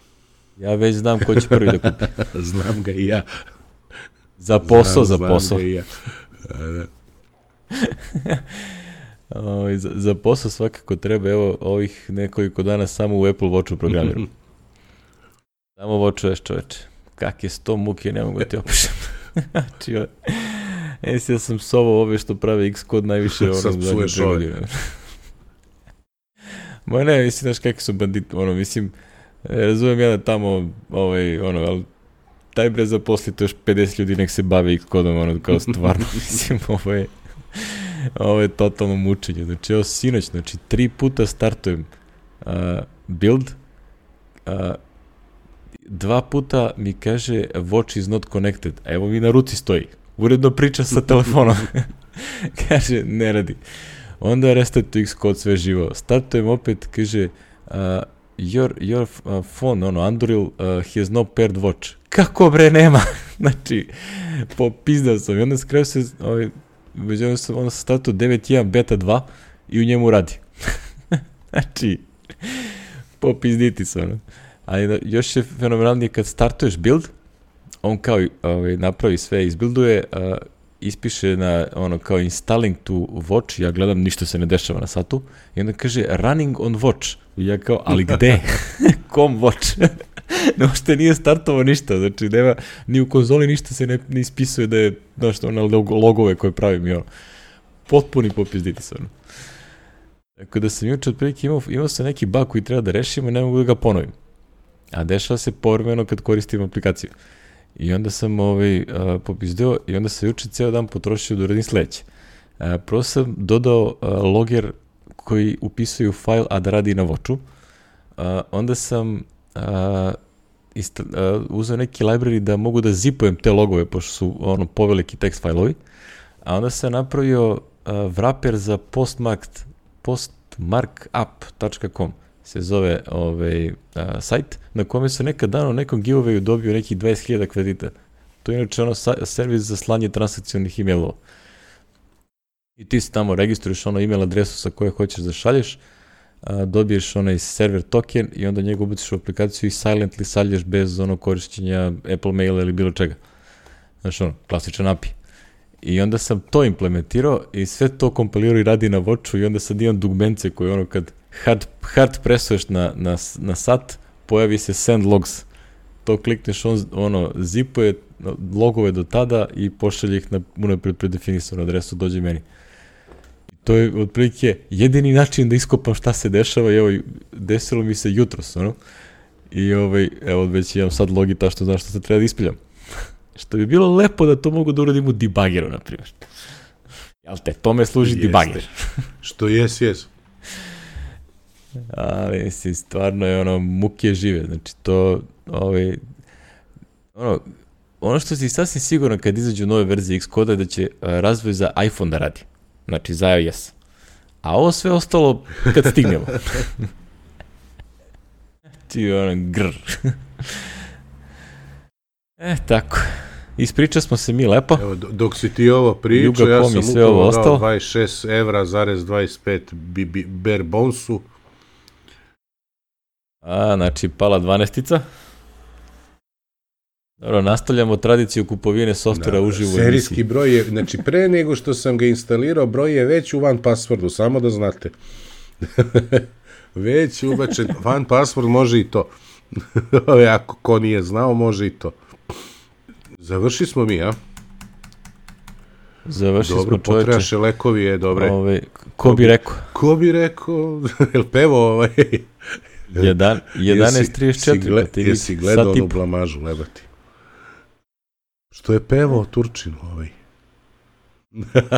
Ja već znam ko će prvi da kupi. Znam ga i ja. Za posao, znam, za posao. Znam ga i ja. Da. O, za, za posao svakako treba, evo, ovih nekoliko dana samo u Apple Watchu programiram. Samo watchuješ, čoveče. Kak je sto muke, ne mogu ti opišem. Znači, jes ja sam sovao ove što prave Xcode najviše ono zadnje prevodio. Ma ne, mislim, znaš kakvi su banditi, ono, mislim, razumijem ja da tamo, ovaj, ono, ali taj bre zaposlite još pedeset ljudi nek se bave Xcodeom, ono, kao stvarno, mislim, ovo je... Ovo je totalno mučenje. Znači, evo sinoć, znači, tri puta startujem uh, build, uh, dva puta mi kaže watch is not connected. A evo mi na ruci stoji. Uredno priča sa telefonom. Kaže, ne radi. Onda restartujem Xcode, sve živo. Startujem opet, kaže, uh, your, your uh, phone, ono, Android uh, has no paired watch. Kako bre, nema? Znači, popizdao sam. I onda skraju se, ovaj, već onda sam, onda sam startao devet jedan beta dva i u njemu radi. Znači, popizditi se, ono. Ali da, još je fenomenalnije kad startuješ build, on kao ovaj, napravi sve, izbuilduje, uh, ispiše na ono kao installing to watch, ja gledam, ništa se ne dešava na satu, i onda kaže running on watch. I ja kao, ali gde? Kom watch? Ne, uopšte nije startovao ništa, znači nema, ni u konzoli ništa se ne, ne ispisuje da je, znaš, ono logove koje pravim i ono. Potpuni popizditi se, ono. Tako da sam juče otprilike imao, imao sam neki bug koji treba da rešimo i ne mogu da ga ponovim. A dešava se povremeno kad koristim aplikaciju. I onda sam ovaj, uh, popizdeo i onda sam juče ceo dan potrošio da uradim sledeće. Uh, prvo sam dodao uh, loger koji upisuje u file, a da radi na Watchu. Uh, onda sam uh, isto, uh, uzeo neki library da mogu da zipujem te logove, pošto su ono poveliki text failovi. A onda sam napravio uh, wrapper za postmark, postmarkup dot com. Se zove ovaj, uh, sajt, na kome se nekad dano u nekom giveawayu dobio nekih dvadeset hiljada kredita. To je inače ono sa, servis za slanje transakcionih e-mailova. I ti se tamo registruješ ono e-mail adresu sa koje hoćeš da šalješ, uh, dobiješ onaj server token i onda njega ubaciš u aplikaciju i silently šalješ bez ono korišćenja Apple Maila ili bilo čega. Znaš ono, klasičan A P I. I onda sam to implementirao i sve to kompilirao i radi na Watchu i onda sad imam dugmence koje ono kad hard, hard presuješ na, na, na sat, pojavi se send logs. To klikneš, on ono, zipuje logove do tada i pošalje ih na unapred predefinisanu adresu, dođe meni. I to je otprilike jedini način da iskopam šta se dešava i evo, desilo mi se jutros, ono. I ovaj, evo već imam sad logita što znam što se treba da ispiljam. Što bi bilo lepo da to mogu da uradim u debuggeru, na primjer. Jel te, tome služi debugger. Što jes, jes. Ali, mislim, stvarno je ono, muke žive, znači to, ovaj, ono, ono što si sasvim sigurno kad izađu nove verzije Xcoda je da će uh, razvoj za iPhone da radi, znači za iOS. A ovo sve ostalo kad stignemo. Ti ono, grr. E, tako. Ispričali smo se mi lepo. Evo, dok si ti ovo pričao, ja sam upravo dao dvadeset šest evra zarez dvadeset pet bare bonesu. A, znači pala dvanaestica. Dobro, nastavljamo tradiciju kupovine softvera uživo. Serijski broj je, znači pre nego što sam ga instalirao, broj je već u one passwordu, samo da znate. Već ubačen, one password može i to. Ako ko nije znao, može i to. Završi smo mi, a? Završi dobro, smo, čoveče. Dobro, potrebaše lekovi je, dobre. Ove, ko bi rekao? Ko bi rekao? Jel pevo ovaj? jedanaest trideset četiri. Jesi, jesi gledao onu blamažu, lebati? Što je pevao Turčin ovaj?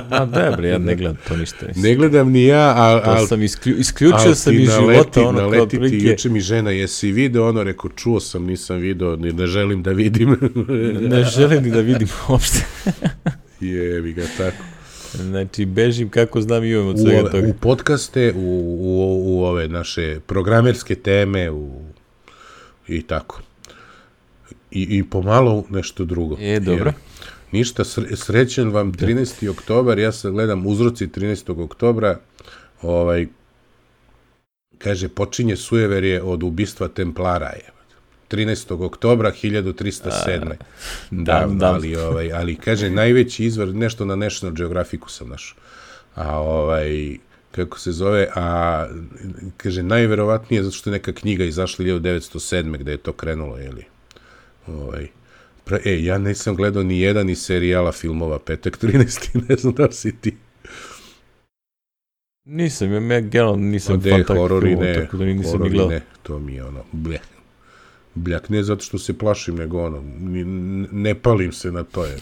Ma dobro, ja ne gledam to ništa. Mislim. Ne gledam ni ja, ali... To sam isklju, isključio sam iz života ono kao prilike. Juče mi žena, jesi video ono, rekao, čuo sam, nisam video, ni ne želim da vidim. Ne želim ni da vidim uopšte. Jebi ga tako. Znači, bežim kako znam i imam od svega toga. U podcaste, u, u, u ove naše programerske teme, u, i tako. I, i pomalo nešto drugo. E, dobro. Jer, ništa, srećen vam trinaesti oktobar, ja sad gledam uzroci trinaestog oktobra, ovaj, kaže, počinje sujeverje od ubistva Templara, je. trinaestog oktobra hiljadu trista sedme. Da, da, ali, ovaj, ali, kaže, najveći izvor, nešto na National Geographicu sam našao. A, ovaj, kako se zove, a, kaže, najverovatnije, zato što je neka knjiga izašla hiljadu devetsto sedme, gde je to krenulo, jeli? Ovaj, E, ja nisam gledao ni jedan iz serijala filmova Petak trinaesti, ne znam da si ti. Nisam, ja generalno nisam fan takvih filmova, tako da nisam ni gledao. Ne, to mi je ono, bljak. Bljak, ne zato što se plašim, nego ono, ne palim se na to. Jer.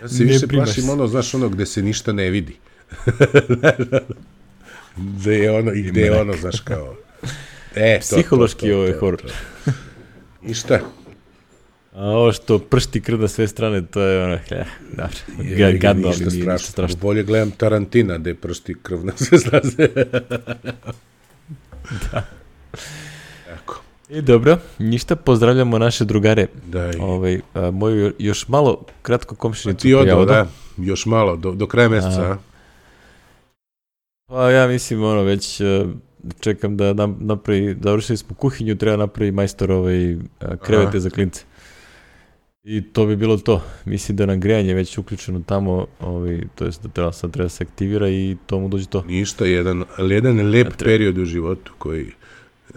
Ja se ne više plašim se. Ono, znaš, ono gde se ništa ne vidi. Gde je ono, i gde je ono, znaš, kao... E, to, psihološki ovo je horor. I šta? A ovo što pršti krv na sve strane, to je ono, ja, dobro, gadno, ali nije ništa strašno. Bolje gledam Tarantina, gde pršti krv na sve strane. Da. Tako. I dobro, ništa, pozdravljamo naše drugare. Da. Ovaj, a, moju još malo kratko komšinicu. Ti odo, da, još malo, do, do kraja meseca, a? Pa ja mislim, ono, već... čekam da napravi, završili smo kuhinju, treba napravi majstor ovaj, krevete Aha. za klince. I to bi bilo to. Mislim da nam grejanje već uključeno tamo, ovaj, to jest da treba, sad treba se aktivira i to mu dođe to. Ništa, jedan, jedan lep treba... period u životu koji...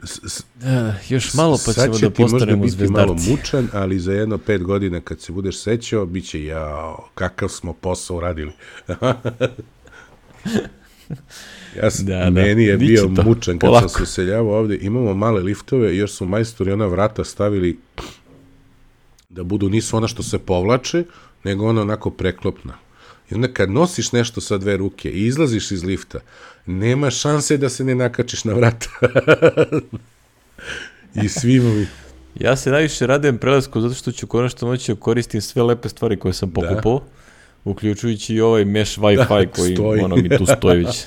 S, s, da, još malo pa ćemo da postanemo zvezdarci. Sad će ti možda biti malo mučan, ali za jedno pet godina kad se budeš sećao, bit će, jao, kakav smo posao radili. Ja sam, da, meni je da. bio to. mučan kad Polako. sam se useljavao ovde. Imamo male liftove, još su majstori ona vrata stavili da budu, nisu ona što se povlače, nego ona onako preklopna. I onda kad nosiš nešto sa dve ruke i izlaziš iz lifta, nema šanse da se ne nakačiš na vrata. I svima mi... Ja se najviše radujem prelasku zato što ću konačno moći koristim sve lepe stvari koje sam pokupao. Da. Uključujući i ovaj mesh Wi-Fi da, koji stoji. Ono mi tu stoji već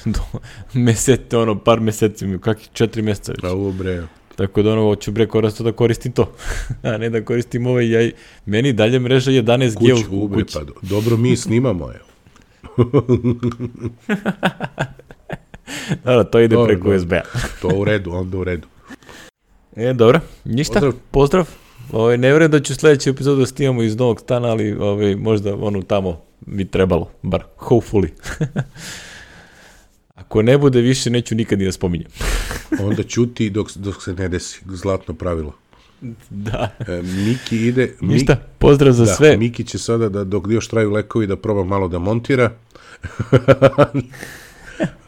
mesete, ono par meseci, kakih četiri meseca već. Pa ovo bre. Tako da ono, hoću bre korisno da koristim to, a ne da koristim ovaj jaj. Meni dalje mreža jedanaest G u, u kući. Pa, dobro, mi snimamo, evo. Dobro, to ide dobro, preko U S B-a. To u redu, onda u redu. E, dobro, ništa, pozdrav. pozdrav. Ovaj, ne vjerujem da ću sljedeću epizodu da snimamo iz novog stana, ali ovaj, možda ono tamo bi trebalo, bar hopefully. Ako ne bude više, neću nikad ni da spominjem. Onda ćuti dok, dok se ne desi, zlatno pravilo. Da. E, Miki ide... Ništa, pozdrav za da, sve. Miki će sada, da, dok još traju lekovi, da proba malo da montira.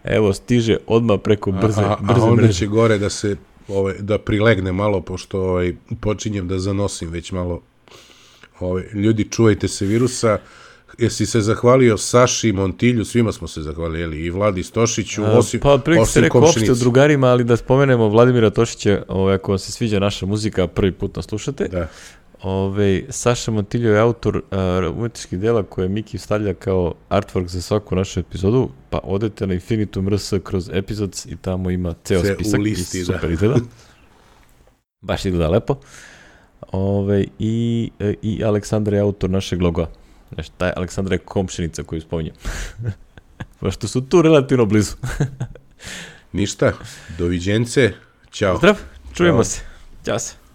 Evo, stiže odmah preko brze, a, a, brze a onda mreže. će gore da se, ovaj, da prilegne malo, pošto ovaj, počinjem da zanosim već malo. Ovaj, ljudi, čuvajte se virusa. jesi se zahvalio Saši, Montilju, svima smo se zahvalili, i Vladi Stošiću, A, osim, pa prilike se osim rekao opšte o komšinici. drugarima, ali da spomenemo Vladimira Tošića, ovaj, ako vam se sviđa naša muzika, prvi put nas slušate. Da. Ove, Saša Montiljo je autor uh, umetničkih dela koje Miki stavlja kao artwork za svaku našu epizodu, pa odete na Infinitum R S kroz epizodes i tamo ima ceo Sve spisak u listi, i super izgleda. Baš izgleda lepo. Ove, i, I Aleksandar je autor našeg logoa. Znači, taj Aleksandar je komšinica koju spominjem. Pošto su tu relativno blizu. Ništa, doviđence, ćao. Zdrav, čujemo Ćao. se. Ćao se.